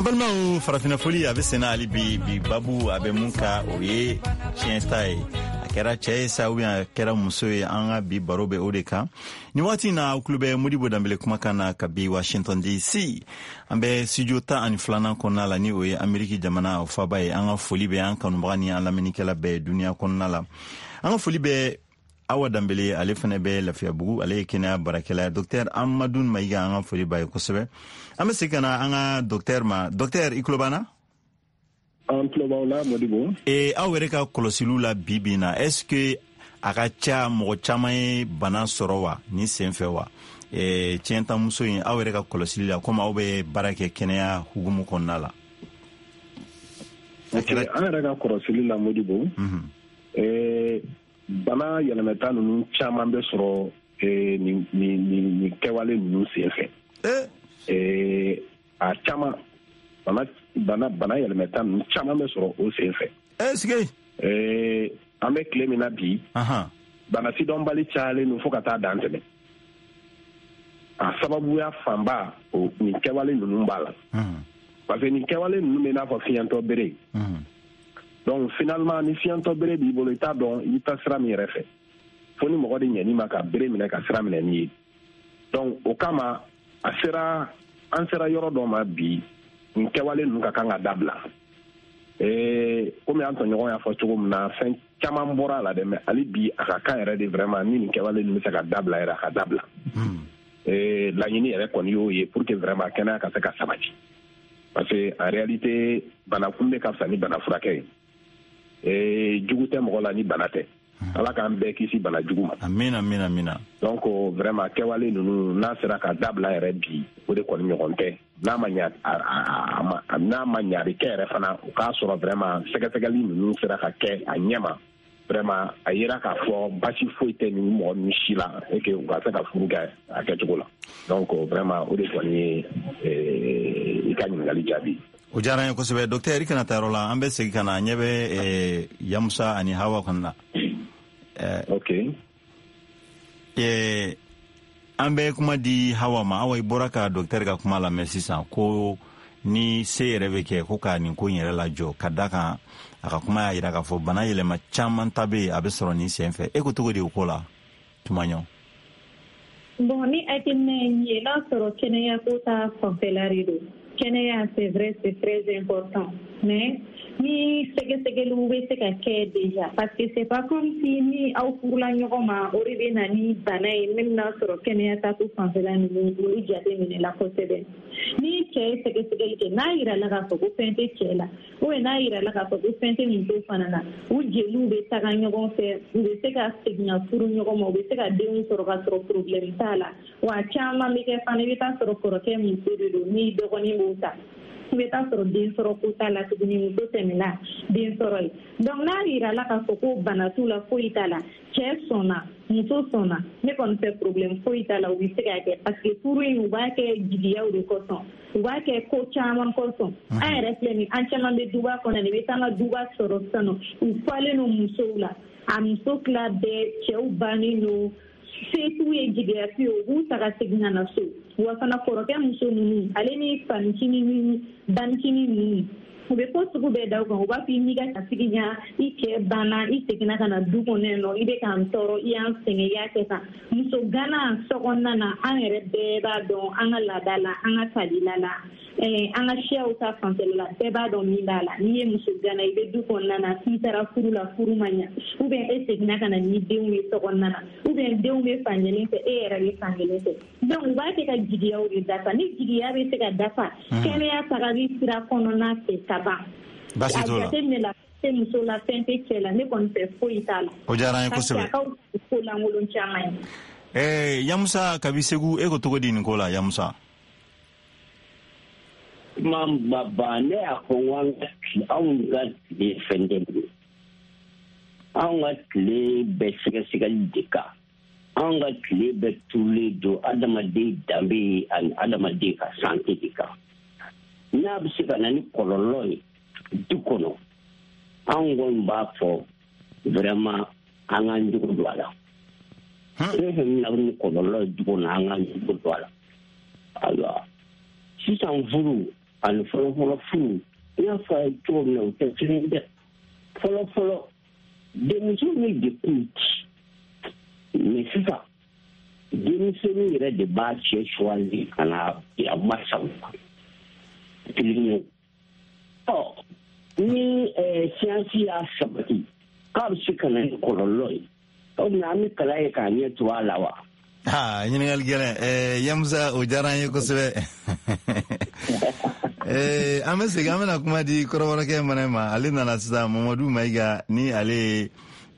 An balimaw, farafinna foli a bɛ senna hali bi. Bi babu a bɛ mun ka, o ye tiɲɛ ta ye. A kɛra cɛ ye sa ou bien a kɛra muso ye, an ka bi baro bɛ o de kan nin waati in na. Aw tulo bɛ Modibo Danbele kumakan na kabi Washington D C. An bɛ studio tan ani filanan kɔnɔna la, ni o ye Ameriki jamana o faba ye. An ka foli bɛ an kanubaga ni an lamɛnnikɛla bɛɛ duniya kɔnɔna la. An ka foli bɛ Awa Danbele, ale fana bɛ Lafiyabugu, ale ye kɛnɛya baarakɛla ye. Docteur Amadu Mayiga, an ka foli b'a ye kosɛbɛ. An bɛ segin ka na an ka docteur ma. Docteur, i tulo b'an na? An tulo b'aw la, Modibo. Ee, aw yɛrɛ ka kɔlɔsiliw la bi bi in na, est ce que a ka ca mɔgɔ caman ye bana sɔrɔ wa nin sen fɛ wa, ee, tiɲɛtamuso in, aw yɛrɛ ka kɔlɔsili la, komi aw bɛ baara kɛ kɛnɛya hukumu kɔnɔna la? Ok, an yɛrɛ ka kɔlɔsili la, Modibo, ee, bana yɛlɛmɛta ninnu caman bɛ sɔrɔ ee, nin nin nin nin kɛwale ninnu sen fɛ. Ee, a caman, bana bana bana yɛlɛmɛta ninnu caman bɛ sɔrɔ o sen fɛ. Est ce que Ee, an bɛ tile min na bi, bana sidɔnbali cayalen don fo ka taa dan tɛmɛ. A sababuya fanba, o nin kɛwale ninnu b'a la, parce que nin kɛwale ninnu bɛ i n'a fɔ fiɲɛtɔ bere. Donc finalement, ni fiɲɛtɔ bere b'i bolo, i t'a dɔn i bɛ taa sira min yɛrɛ fɛ, fo ni mɔgɔ de ɲɛn'i ma ka bere minɛ ka sira minɛ n'i ye. Donc o kama, a sera, an sera yɔrɔ dɔ ma bi, nin kɛwale ninnu ka kan ka dabila. Ee, komi an tɔɲɔgɔn y'a fɔ cogo min na, fɛn caman bɔra a la dɛ, mais hali bi a ka kan yɛrɛ de, vraiment, ni nin kɛwale ninnu bɛ se ka dabila yɛrɛ, a ka dabila. Ee, laɲini yɛrɛ kɔni y'o ye, pour que vraiment kɛnɛya ka se ka sabati, parce que en réalité, bana kunbɛ ka fisa ni bana furakɛ ye. Ee, jugu tɛ mɔgɔ la ni bana tɛ. Ala k'an bɛɛ kisi bana jugu ma. Amina, amina, amina. Donc vraiment, kɛwale ninnu n'a sera ka dabila yɛrɛ bi, o de kɔni ɲɔgɔn tɛ. N'a ma ɲa, a n'a ma ɲa, a bɛ kɛ yɛrɛ fana, o k'a sɔrɔ vraiment sɛgɛsɛgɛli ninnu sera ka kɛ a ɲɛ ma. Vraiment, a yera k'a fɔ basi foyi tɛ nin mɔgɔ ninnu si la et que u ka se ka furu kɛ a kɛcogo la. Donc vraiment, o de kɔni ye i ka ɲininkali jaabi. O diyara n ye kosɛbɛ, docteur. I kana taa yɔrɔ la, an bɛ segin ka na. An ɲɛ bɛ Yamusa ani Hawa kɔni na. Ok. An bɛ kuma di Hawa ma. Awa, i bɔra ka docteur ka kuma lamɛn sisan, ko ni se yɛrɛ bɛ kɛ, ko ka nin ko in yɛrɛ lajɔ, ka da kan a ka kuma y'a yira k'a fɔ bana yɛlɛma caman ta bɛ yen, a bɛ sɔrɔ nin sen fɛ. E ko cogo di o ko la tuma ɲɔ? Bon, ni hakilina ye min ye, n'a sɔrɔ kɛnɛya ko ta fanfɛla de don, kɛnɛya, c'est vrai, c'est très important, mais ni sɛgɛsɛgɛliw bɛ se ka kɛ déjà, parce que c'est pas comme si ni aw furula ɲɔgɔn ma, o de bɛ na ni bana ye. Même n'a sɔrɔ kɛnɛya ta ko fanfɛla ninnu, olu jate minɛ la kosɛbɛ. Ni cɛ ye sɛgɛsɛgɛli kɛ, n'a yirala k'a fɔ ko fɛn tɛ cɛ la, ou bien n'a yirala k'a fɔ ko fɛn tɛ muso fana na, u jeliw bɛ taga ɲɔgɔn fɛ, u bɛ se ka segin ka furu ɲɔgɔn ma, u bɛ se ka denw sɔrɔ ka sɔrɔ problème t'a la. Wa caman bɛ kɛ fana, i bɛ taa sɔrɔ kɔrɔkɛ muso de don, ni dɔgɔnin b'o ta, i bɛ taa sɔrɔ den sɔrɔ ko t'a la tuguni, muso tɛmɛna den sɔrɔ ye. Donc n'a yirala k'a fɔ ko bana t'u la, foyi t'a la, cɛ sɔnna, muso sɔnna, ne kɔni fɛ problème foyi t'a la, u bɛ se k'a kɛ, parce que furu in, u b'a kɛ jigiyaw de kosɔn, u b'a kɛ ko caman kosɔn. An yɛrɛ filɛ nin, an caman bɛ duba kɔnɔ, i bɛ taa an ka duba sɔrɔ sisan nɔ, u falen don musow la, a muso tila bɛɛ cɛw bannen don, se t'u ye, jigiya t'u ye, u b'u ta ka segin ka na so. Wa fana kɔrɔkɛ muso ninnu, ale ni fanicinin ni banicinin ninnu, u bɛ ko sugu bɛɛ da u kan. U b'a fɔ i n'i ka kasigi ɲa, i cɛ banna, i seginna ka na du kɔnɔ yan nɔ, i bɛ k'an tɔɔrɔ, i y'an sɛgɛn, i y'a kɛ tan. Muso gana sokɔnɔna na, an yɛrɛ bɛɛ b'a dɔn, an ka laada la, an ka kabila la, an ka siyaw ta fanfɛla la, bɛɛ b'a dɔn min b'a la. N'i ye muso gana, i bɛ du kɔnɔna na, k'i taara furu la, furu ma ɲa, ou bien e seginna ka na ni denw ye sokɔnɔna na, ou bien denw bɛ fan kelen fɛ, e yɛrɛ bɛ fan kelen fɛ. Donc u b'a kɛ ka jigiyaw de dafa. Ni jigiya bɛ se ka dafa kɛnɛya tagali sira kɔnɔna fɛ ka ban, Baasi t'o la. A jateminɛ la, fɛn tɛ muso la, fɛn tɛ cɛ la, ne kɔni fɛ foyi t'a la. O diyara an ye Parce que kosɛbɛ. a ka ko lankolon caman ye. Eh, Yamusa kabi Segu, e ko cogo di nin ko la, Yamusa? Kuma ba, ne y'a fɔ n ko an ka tile, anw ka tile fɛn tɛ bilen. Anw ka tile bɛ sɛgɛsɛgɛli de kan. Anw ka tile bɛ turulen don adamaden danbe ani adamaden ka santé de kan. N'a bɛ se ka na ni kɔlɔlɔ ye du kɔnɔ, anw kɔni b'a fɔ vraiment, an k'an jogo don a la. Fɛn fɛn bɛna ni kɔlɔlɔ ye du kɔnɔ, an k'an jogo don a la. Ayiwa, sisan furu Ani fɔlɔfɔlɔ furu, n y'a fɔ a ye cogo min na, o tɛ kelen dɛ. Fɔlɔfɔlɔ denmisɛnnin de kun ci, mais sisan denmisɛnnin yɛrɛ de b'a cɛ suwali ka na a masaw kelen ye. Ɔ ni siyansi y'a sabati k'a bɛ se ka na ni kɔlɔlɔ ye, o tuma an bɛ kalan ye k'a ɲɛ tugu a la wa? Aa, ɲininkali gɛlɛn. ɛɛ Yamusa, o diyara an ye kosɛbɛ. ɛɛ an bɛ segin, an bɛna kuma di kɔrɔbɔrɔkɛ mana ma. Ale nana sisan, Mamadu Mayiga, ni ale ye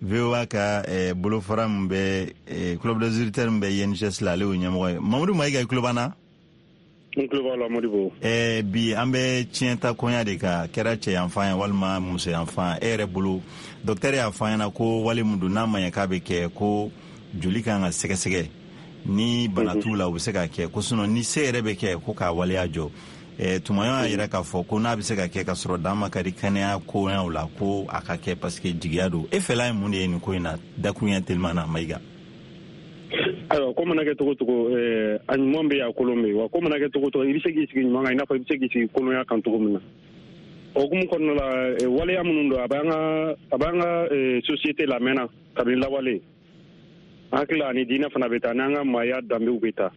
V O A ka eh, bolofara min bɛ eh, club des auditeurs min bɛ I N G S la, ale y'o ɲɛmɔgɔ ye. Mamadu Mayiga, i tulo b'an na? N tulo b'aw la, Modibo. Eh, bi an bɛ tiɲɛta koɲa de kan, kɛra cɛ yanfan ye walima muso yanfan. E yɛrɛ bolo, docteur y'a fɔ an ɲɛna ko wale min don, n'a ma ɲɛ k'a bɛ kɛ, ko joli kan ka sɛgɛsɛgɛ ni bana t'u la, u bɛ se ka kɛ, ko sinon ni se yɛrɛ bɛ kɛ, ko k'a waleya jɔ. Eh, Tumaɲɔ y'a yira k'a fɔ ko n'a bɛ se ka kɛ ka sɔrɔ dan ma ka di kɛnɛya koɲaw la, ko a ka kɛ parce que jigiya don. E fɛla ye mun de ye nin ko in na, dakuruɲɛ teliman na, Mayiga? Ayiwa, ko mana kɛ cogo cogo, a ɲuman bɛ yen, a kolon bɛ yen. Wa ko mana kɛ cogo cogo, i bɛ se k'i sigi ɲuman kan i n'a fɔ i bɛ se k'i sigi kolonya kan cogo min na. O hukumu kɔnɔna la, waleya minnu don, a b'an ka a b'an ka société la mɛnna kabini lawale. An hakili la, ani diinɛ fana bɛ taa, n'an ka maaya danbew bɛ taa.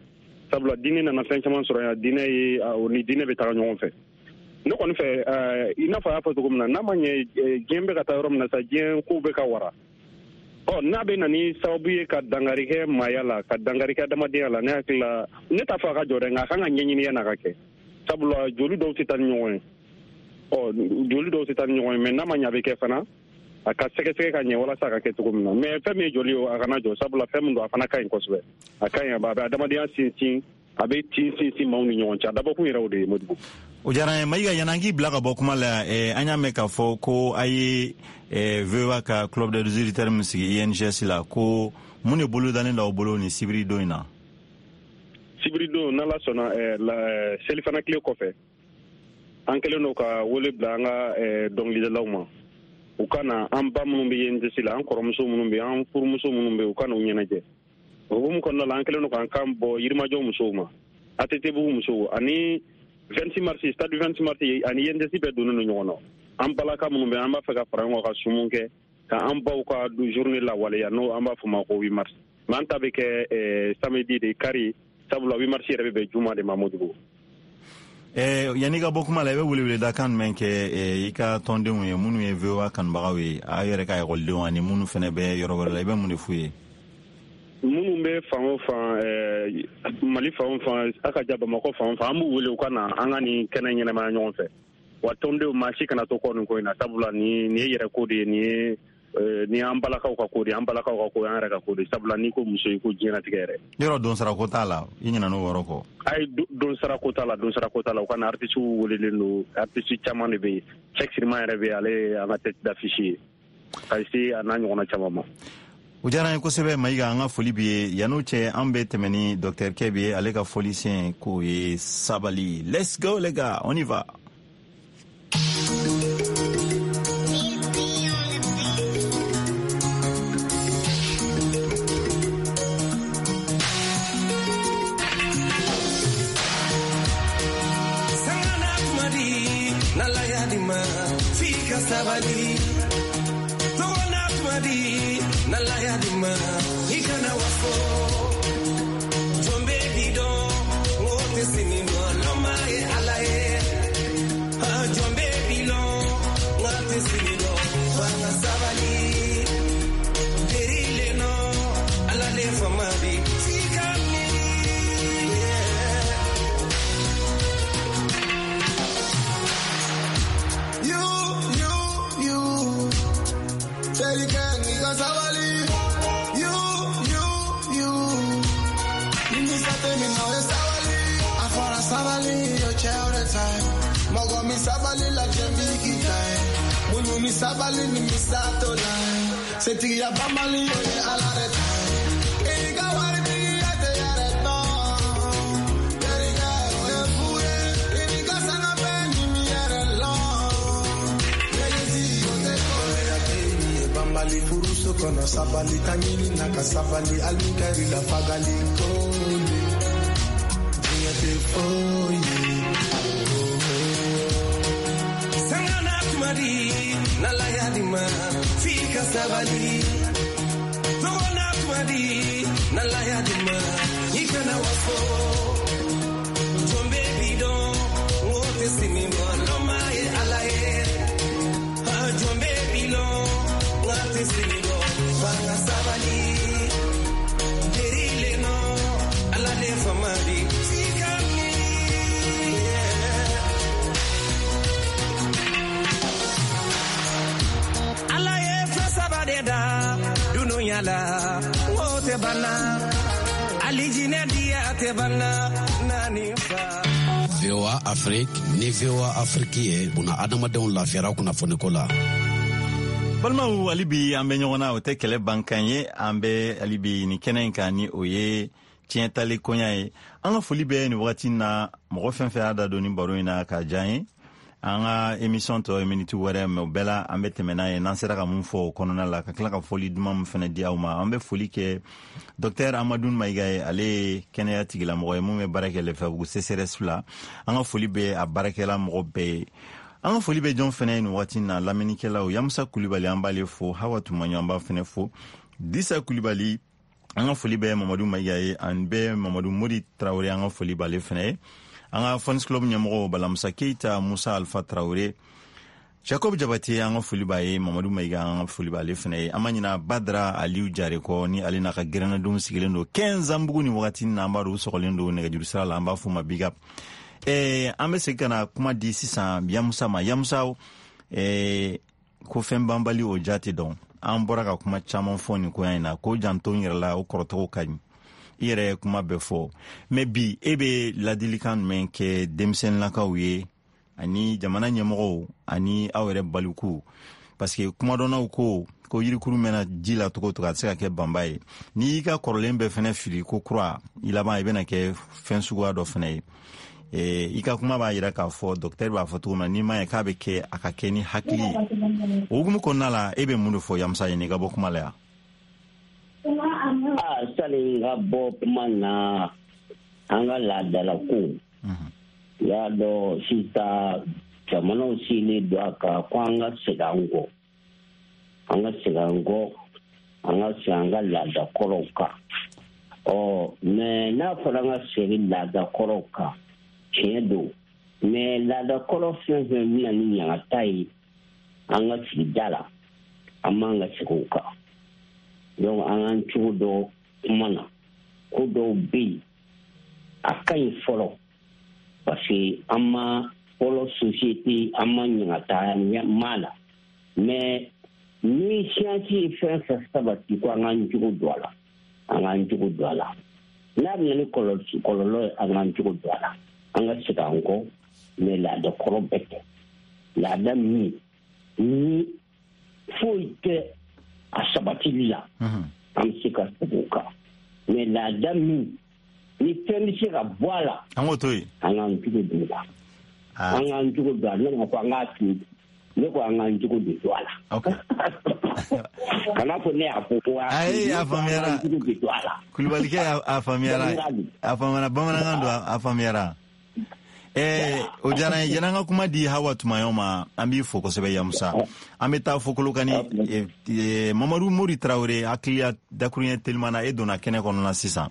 Sabula diinɛ nana fɛn caman sɔrɔ yan, diinɛ ye o ni diinɛ bɛ taga ɲɔgɔn fɛ. Ne kɔni fɛ, i n'a fɔ a y'a fɔ cogo min na, n'a ma ɲɛ diɲɛ bɛ ka taa yɔrɔ min na sa, diɲɛ kow bɛ ka wara. Ɔ n'a bɛ na ni sababu ye ka dankari kɛ maaya la, ka dankari kɛ adamadenya la, ne hakili la, ne t'a fɔ a ka jɔ dɛ, nka a kan ka ɲɛɲini yanni a ka kɛ. Sabula joli dɔw tɛ taa ni ɲɔgɔn ye. Ɔ joli dɔw tɛ taa ni ɲɔgɔn ye, mais n'a ma ɲɛ a bɛ kɛ fana, a ka sɛgɛsɛgɛ ka ɲɛ walasa a ka kɛ cogo min na. Mais fɛn min ye joli ye, a kana jɔ, sabula fɛn min don, a fana ka ɲi kosɛbɛ. A ka ɲi, a bɛ adamadenya sinsin, a bɛ tin sinsin maaw ni ɲɔgɔn cɛ. A dabɔkun yɛrɛ o de ye, Modibo. O diyara n ye, Mayiga. Yanni an k'i bila ka bɔ kuma la, eh, an y'a mɛn k'a fɔ ko a ye eh, V O A ka club des auditeurs min sigi I N G S la, ko mun de bolo dalen d'aw bolo nin sibiri don in na? Sibiri don, n'Ala sɔnna, eh, la, selifana tile kɔfɛ, an kɛlen don ka wele bila an ka eh, dɔnkilidalaw ma. U ka na, an ba minnu bɛ I N G S la, an kɔrɔmuso minnu bɛ, an furumuso minnu bɛ, u ka n'u ɲɛnajɛ. O hukumu kɔnɔna la, an kɛlen don k'an kan bɔ Yirimajɔ musow ma, A T T Bugu musow, ani vingt-six mars, stade vingt-six mars ani I N G S bɛɛ donnen don ɲɔgɔn na. An balaka minnu bɛ, an b'a fɛ ka fara ɲɔgɔn kan ka sumun kɛ, ka an baw ka journée lawaleya, n'o an b'a fɔ ma ko huit mars. Mais an ta bɛ kɛ samedi de, kari, sabula huit mars yɛrɛ bɛ bɛn juma de ma, Modibo. Eh, yanni ka bɔ kuma la, i bɛ weleweledakan jumɛn kɛ eh, i ka tɔndenw ye, minnu ye V O A kanubagaw ye, aw yɛrɛ ka ekɔlidenw ani minnu fana bɛ yɔrɔ wɛrɛ la, i bɛ mun de f'u ye? Minnu bɛ fan o fan, eh, Mali fan o fan, a ka ja Bamakɔ fan o fan, an b'u wele u ka na an ka nin kɛnɛ ɲɛnamaya ɲɔgɔn fɛ. Wa tɔndenw, maa si kana to kɔ nin ko in na, sabula nin nin ye yɛrɛ ko de ye, nin ye nin y'an balakaw ka ko de ye, an balakaw ka ko ye, an yɛrɛ ka ko de ye. Sabula n'i ko muso, i ko diɲɛlatigɛ yɛrɛ. Yɔrɔ donsara ko t'a la, i ɲinɛ n'o yɔrɔ kɔ? Ayi, donsara ko t'a la, donsara ko t'a la. U ka na, artiste welelen don, artiste caman de bɛ yen. Cheick Siriman yɛrɛ bɛ yen, ale ye an ka tête d'affiche ye, ka se a n'a ɲɔgɔnna caman ma. O diyara an ye kosɛbɛ, Mayiga, an ka foli b'i ye. Yan'o cɛ, an bɛ tɛmɛ ni docteur Kɛbi ye, ale ka fɔlisen k'o ye sabali. Let's go les gars, on y va. Sabali tɔgɔna kuma di n'Ala y'a di ma, i kana waso. Jɔn bɛ di dɔn o tɛ sini dɔn, lɔnba ye Ala ye. Jɔn bɛ bi lɔn nka tɛ sini dɔn, f'an ka sabali. Teri le nɔ Ala le fama di f'i ka miiri. You, you, you. Sabali, you, you, you. Sabali, afara sabali, yo chéore time. Mogo mi sabali la jembi time. Munu mi sabali ni mi sato line. Seti ya bamali yo ye alare time. Ega wari tigi ya te yare no. Yeriga oye fuye. Ega sanga pe ni mi yare long. Yeri yo te kore ya te ni bambali furuso kono sabali tangini naka sabali almikari la fagali kole. Diɲɛ tɛ foyi ye. Sabali Togona tumadi Nalaya dima Ikana waso Jombe bidon Ngote sinimbo Loma ye alaye Jombe bilon Ngote sinimbo Fanga sabali Derile no Alale famadi Sikami Alaye fasabade da Dunuya la Ngote bana Alijine diya te bana Nani fa V O A Afrique ni V O A Afrique ye buna adamadenw lafiyara kunnafoniko la. Balimaw, hali bi an bɛ ɲɔgɔn na, o tɛ kɛlɛ bankan ye. An bɛ hali bi nin kɛnɛ in kan ni o ye tiɲɛtali koɲa ye. An ka foli bɛ nin wagati na mɔgɔ fɛn fɛn y'a da don nin baro in na k'a diya an ye. An ka émission tɔ ye miniti wɛrɛ, mais o bɛɛ la an bɛ tɛmɛ n'a ye n'an sera ka mun fɔ o kɔnɔna la, ka tila ka foli duman min fɛnɛ di aw ma. An bɛ foli kɛ docteur Amadou Maïga ye, ale ye kɛnɛya tigilamɔgɔ ye mun bɛ baara kɛ Lɛfɛbugu C C R S la. An ka foli bɛ a baarakɛla mɔgɔ bɛɛ ye. An ka foli bɛ jɔn fɛnɛ ye nin waati na, lamɛnnikɛlaw Yamusa Kulibali an b'ale fo, Hawa Tumaɲɔ an b'a fɛnɛ fo, Disa Kulibali an ka foli bɛ Mamadu Maïga ye, an bɛ Mamadu Mori Tarawele an ka foli b'ale fɛnɛ ye. An ka Fans Club ɲɛmɔgɔw Balamusa Keita, Musa Alpha Traoré, Jacob Jabate an ka foli b'a ye, Mamadu Maïga an ka foli b'ale fɛnɛ ye. An ma ɲina Badra Aliou Jare kɔ, ni ale n'a ka gɛrɛnnadenw sigilen don Kɛnzanbugu ni wagati na, an b'a dɔn u sɔgɔlen don nɛgɛjuru sira la, an b'a f'u ma big up. Eh, an bɛ segin ka na kuma di sisan Yamusa ma. Yamusa, eh, ko fɛn banbali o ja tɛ dɔn. An bɔra ka kuma caman fɔ nin koɲa in na, ko janto n yɛrɛ la, o kɔrɔtɔgɔ ka ɲi. I yɛrɛ ye kuma bɛɛ fɔ, mais bi e bɛ ladilikan jumɛn kɛ denmisɛnninlakaw ye ani jamana ɲɛmɔgɔw ani aw yɛrɛ balikuw? Parce que kumadɔnnaw ko ko yirikuru mɛnna ji la cogo o cogo, a tɛ se ka kɛ banba ye. N'i y'i ka kɔrɔlen bɛɛ fɛnɛ fili ko kura, i laban i bɛna kɛ fɛn suguya dɔ fɛnɛ ye. E, i ka kuma b'a yira k'a fɔ docteur b'a fɔ cogo min na, n'i m'a ye k'a bɛ kɛ, a ka kɛ ni hakili ye. O hukumu kɔnɔna la, e bɛ mun de fɔ Yamusa ye n'i ka bɔ kuma la yan? Ah, sani n ka bɔ kuma na, an ka laadalako y'a dɔn sisan jamanaw sigilen don a kan ko an ka segin an kɔ, an ka segin an kɔ, an ka segin an ka laadakɔrɔw kan. Ɔ mais n'a fɔra an ka segin laadakɔrɔw kan, tiɲɛ don, mais laadakɔrɔ fɛn fɛn bɛ na ni ɲangata ye an ka sigida la, an man ka segin o kan. Donc an k'an cogo dɔ kuma na, ko dɔw bɛ yen a ka ɲi fɔlɔ, parce que an ma fɔlɔ société, an ma ɲangata ma la, mais ni science ye fɛn fɛn sabati ko an k'an cogo don a la, an k'an cogo don a la. N'a bɛ na ni kɔlɔlɔ ye, an k'an cogo don a la, an ka segin an kɔ, mais laada kɔrɔ bɛɛ tɛ. Laada min ni foyi tɛ a sabatili la, an bɛ se ka segin o kan, mais laada min ni fɛn bɛ se ka bɔ a la, an k'o to yen, an k'an cogo don o la, an k'an cogo don a la. Ne ma ko an k'a to yen, ne ko an k'an cogo de don a la. Kana fɔ ne y'a fɔ ko ayi, a faamuyara. Kulubalikɛ, a faamuyara, a faamuyara, bamanankan don, a faamuyara. Eh, o diyara n ye. Yan'an ka kuma di Hawa Tumaɲɔ ma, an b'i fo kosɛbɛ Yamusa. An bɛ taa fo Kolokani. eh, Mamadu Mori Tarawele, hakiliya dakuruɲɛ teliman na, e donna kɛnɛ kɔnɔ na sisan.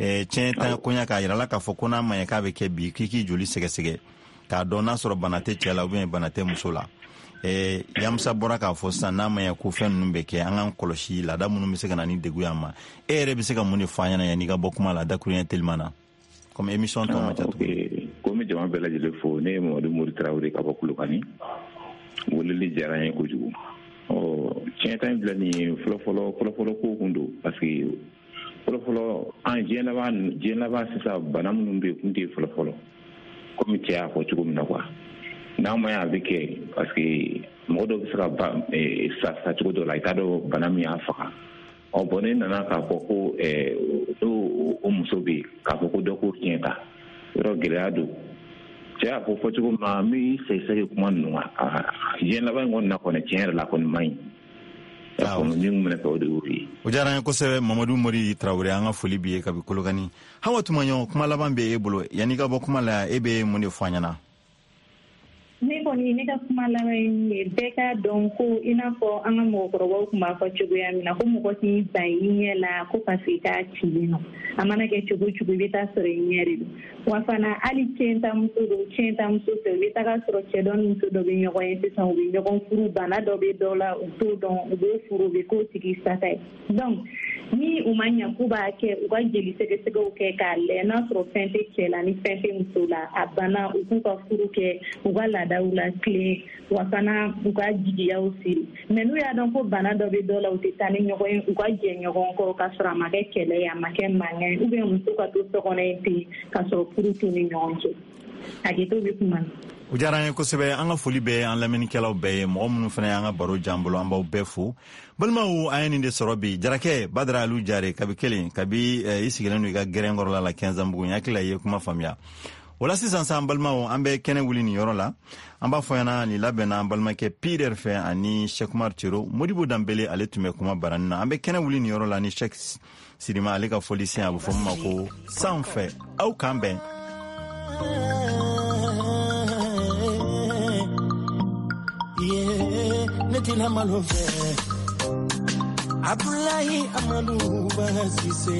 Eh, tiɲɛ ta koɲa k'a yira la k'a fɔ ko n'a ma ɲɛ k'a bɛ kɛ bi, k'i k'i joli sɛgɛsɛgɛ k'a dɔn n'a sɔrɔ bana tɛ cɛ la ou bien bana tɛ muso la. Eh, Yamusa bɔra k'a fɔ sisan n'a ma ɲɛ ko fɛn ninnu bɛ kɛ, an k'an kɔlɔsi laada minnu bɛ se ka na ni degun y'an ma. E yɛrɛ bɛ se ka mun de fɔ an ɲɛna yanni i ka bɔ kuma la dakuruɲɛ teliman na? Comme émission tɔ ma ca tuguni. Ko n bɛ jama bɛɛ lajɛlen fo. Ne ye Mamadu Mori Tarawele ka bɔ Kolokani. Weleli diyara n ye kojugu. Ɔ tiɲɛ ta in filɛ nin ye, fɔlɔfɔlɔ fɔlɔfɔlɔ ko kun don, parce que fɔlɔfɔlɔ an diɲɛ laban diɲɛ laban sisan bana minnu bɛ yen kun tɛ fɔlɔfɔlɔ, komi cɛ y'a fɔ cogo min na quoi. N'a ma ɲɛ a bɛ kɛ, parce que mɔgɔ dɔw bɛ se ka ba sa sa cogo dɔ la, i t'a dɔn bana min y'a faga. Ɔ bɔn ne nana k'a fɔ ko n'o o muso bɛ yen k'a fɔ ko dɔ k'o tiɲɛ ta, yɔrɔ gɛlɛya don. Cɛ y'a fɔ fɔ cogo min na, n bɛ sɛgɛsɛgɛ kuma ninnu kan diɲɛ laban in kɔni na kɔni, tiɲɛ yɛrɛ la kɔni man ɲi. Ni minɛ fɛ o de y'o ye. O diyara n ye kosɛbɛ Mamadu Mori Tarawele, an ka foli b'i ye kabi Kolokani. Hawa Tumaɲɔ, kuma laban bɛ e bolo yanni i ka bɔ kuma la, e bɛ mun de fɔ an ɲɛna? Ne kɔni kɔni ne ka kuma laban ye min ye, bɛɛ k'a dɔn ko i n'a fɔ an ka mɔgɔkɔrɔbaw tun b'a fɔ cogoya min na ko mɔgɔ t'i ban i ɲɛ la ko parce que k'a cilen nɔ, a mana kɛ cogo o cogo i bɛ taa sɔrɔ i ɲɛ de don. Wa fana hali tiɲɛtamuso don, tiɲɛtamuso tɛ, i bɛ taga sɔrɔ cɛ dɔ ni muso dɔ bɛ ɲɔgɔn ye sisan, u bɛ ɲɔgɔn furu, bana dɔ bɛ dɔ la u t'o dɔn, u b'o furu, u bɛ k'o tigi sata ye. Donc ni u ma ɲɛ k'u b'a kɛ, u ka jeli sɛgɛsɛgɛw kɛ k'a lajɛ n'a sɔrɔ fɛn tɛ cɛ la ni fɛn tɛ muso la, a banna, u k'u ka furu kɛ, u ka laadaw la tilen, wa fana u ka jigiyaw siri. Mais n'u y'a dɔn ko bana dɔ bɛ dɔ la, u tɛ taa ni ɲɔgɔn ye, u ka jɛ ɲɔgɔn kɔ k'a sɔrɔ a ma kɛ kɛlɛ ye, a ma kɛ mankan ye, ou bien muso ka to so kɔnɔ yen ten k'a sɔrɔ furu t'u ni ɲɔgɔn cɛ. Hakɛto bɛ kuma na. O diyara an ye kosɛbɛ. An ka foli bɛ an lamɛnnikɛlaw bɛɛ ye, mɔgɔ minnu fana y'an ka baro jan bolo, an b'aw bɛɛ fo. Balimaw, an ye nin de sɔrɔ bi. Jarakɛ Badara Alu Jare, kabi kelen kabi i sigilen don i ka gɛrɛn kɔrɔla la Kɛnzanbugu, n hakili la i ye kuma faamuya. O la sisan sa, an balimaw, an bɛ kɛnɛ wuli nin yɔrɔ la. An b'a fɔ ɲɛna nin labɛnna an balimakɛ Peter fɛ ani Cheikh Umar Tero. Modibo Danbele ale tun bɛ kuma barani na. An bɛ kɛnɛ wuli nin yɔrɔ la ni Cheikh Sirima ale ka fɔlisen, a bɛ fɔ min ma ko sanfɛ. Aw k'an bɛn. Ne tɛna malo fɛ, Abdoulaye Amadou Basise,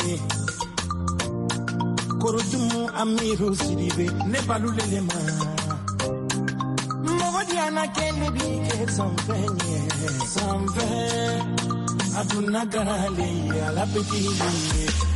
Korodumu Amiru Sidibe, ne balulele ma. Mɔgɔ diyana kɛ ne bi kɛ sanfɛ ɲɛ, sanfɛ. A donna garale, ala petit ye.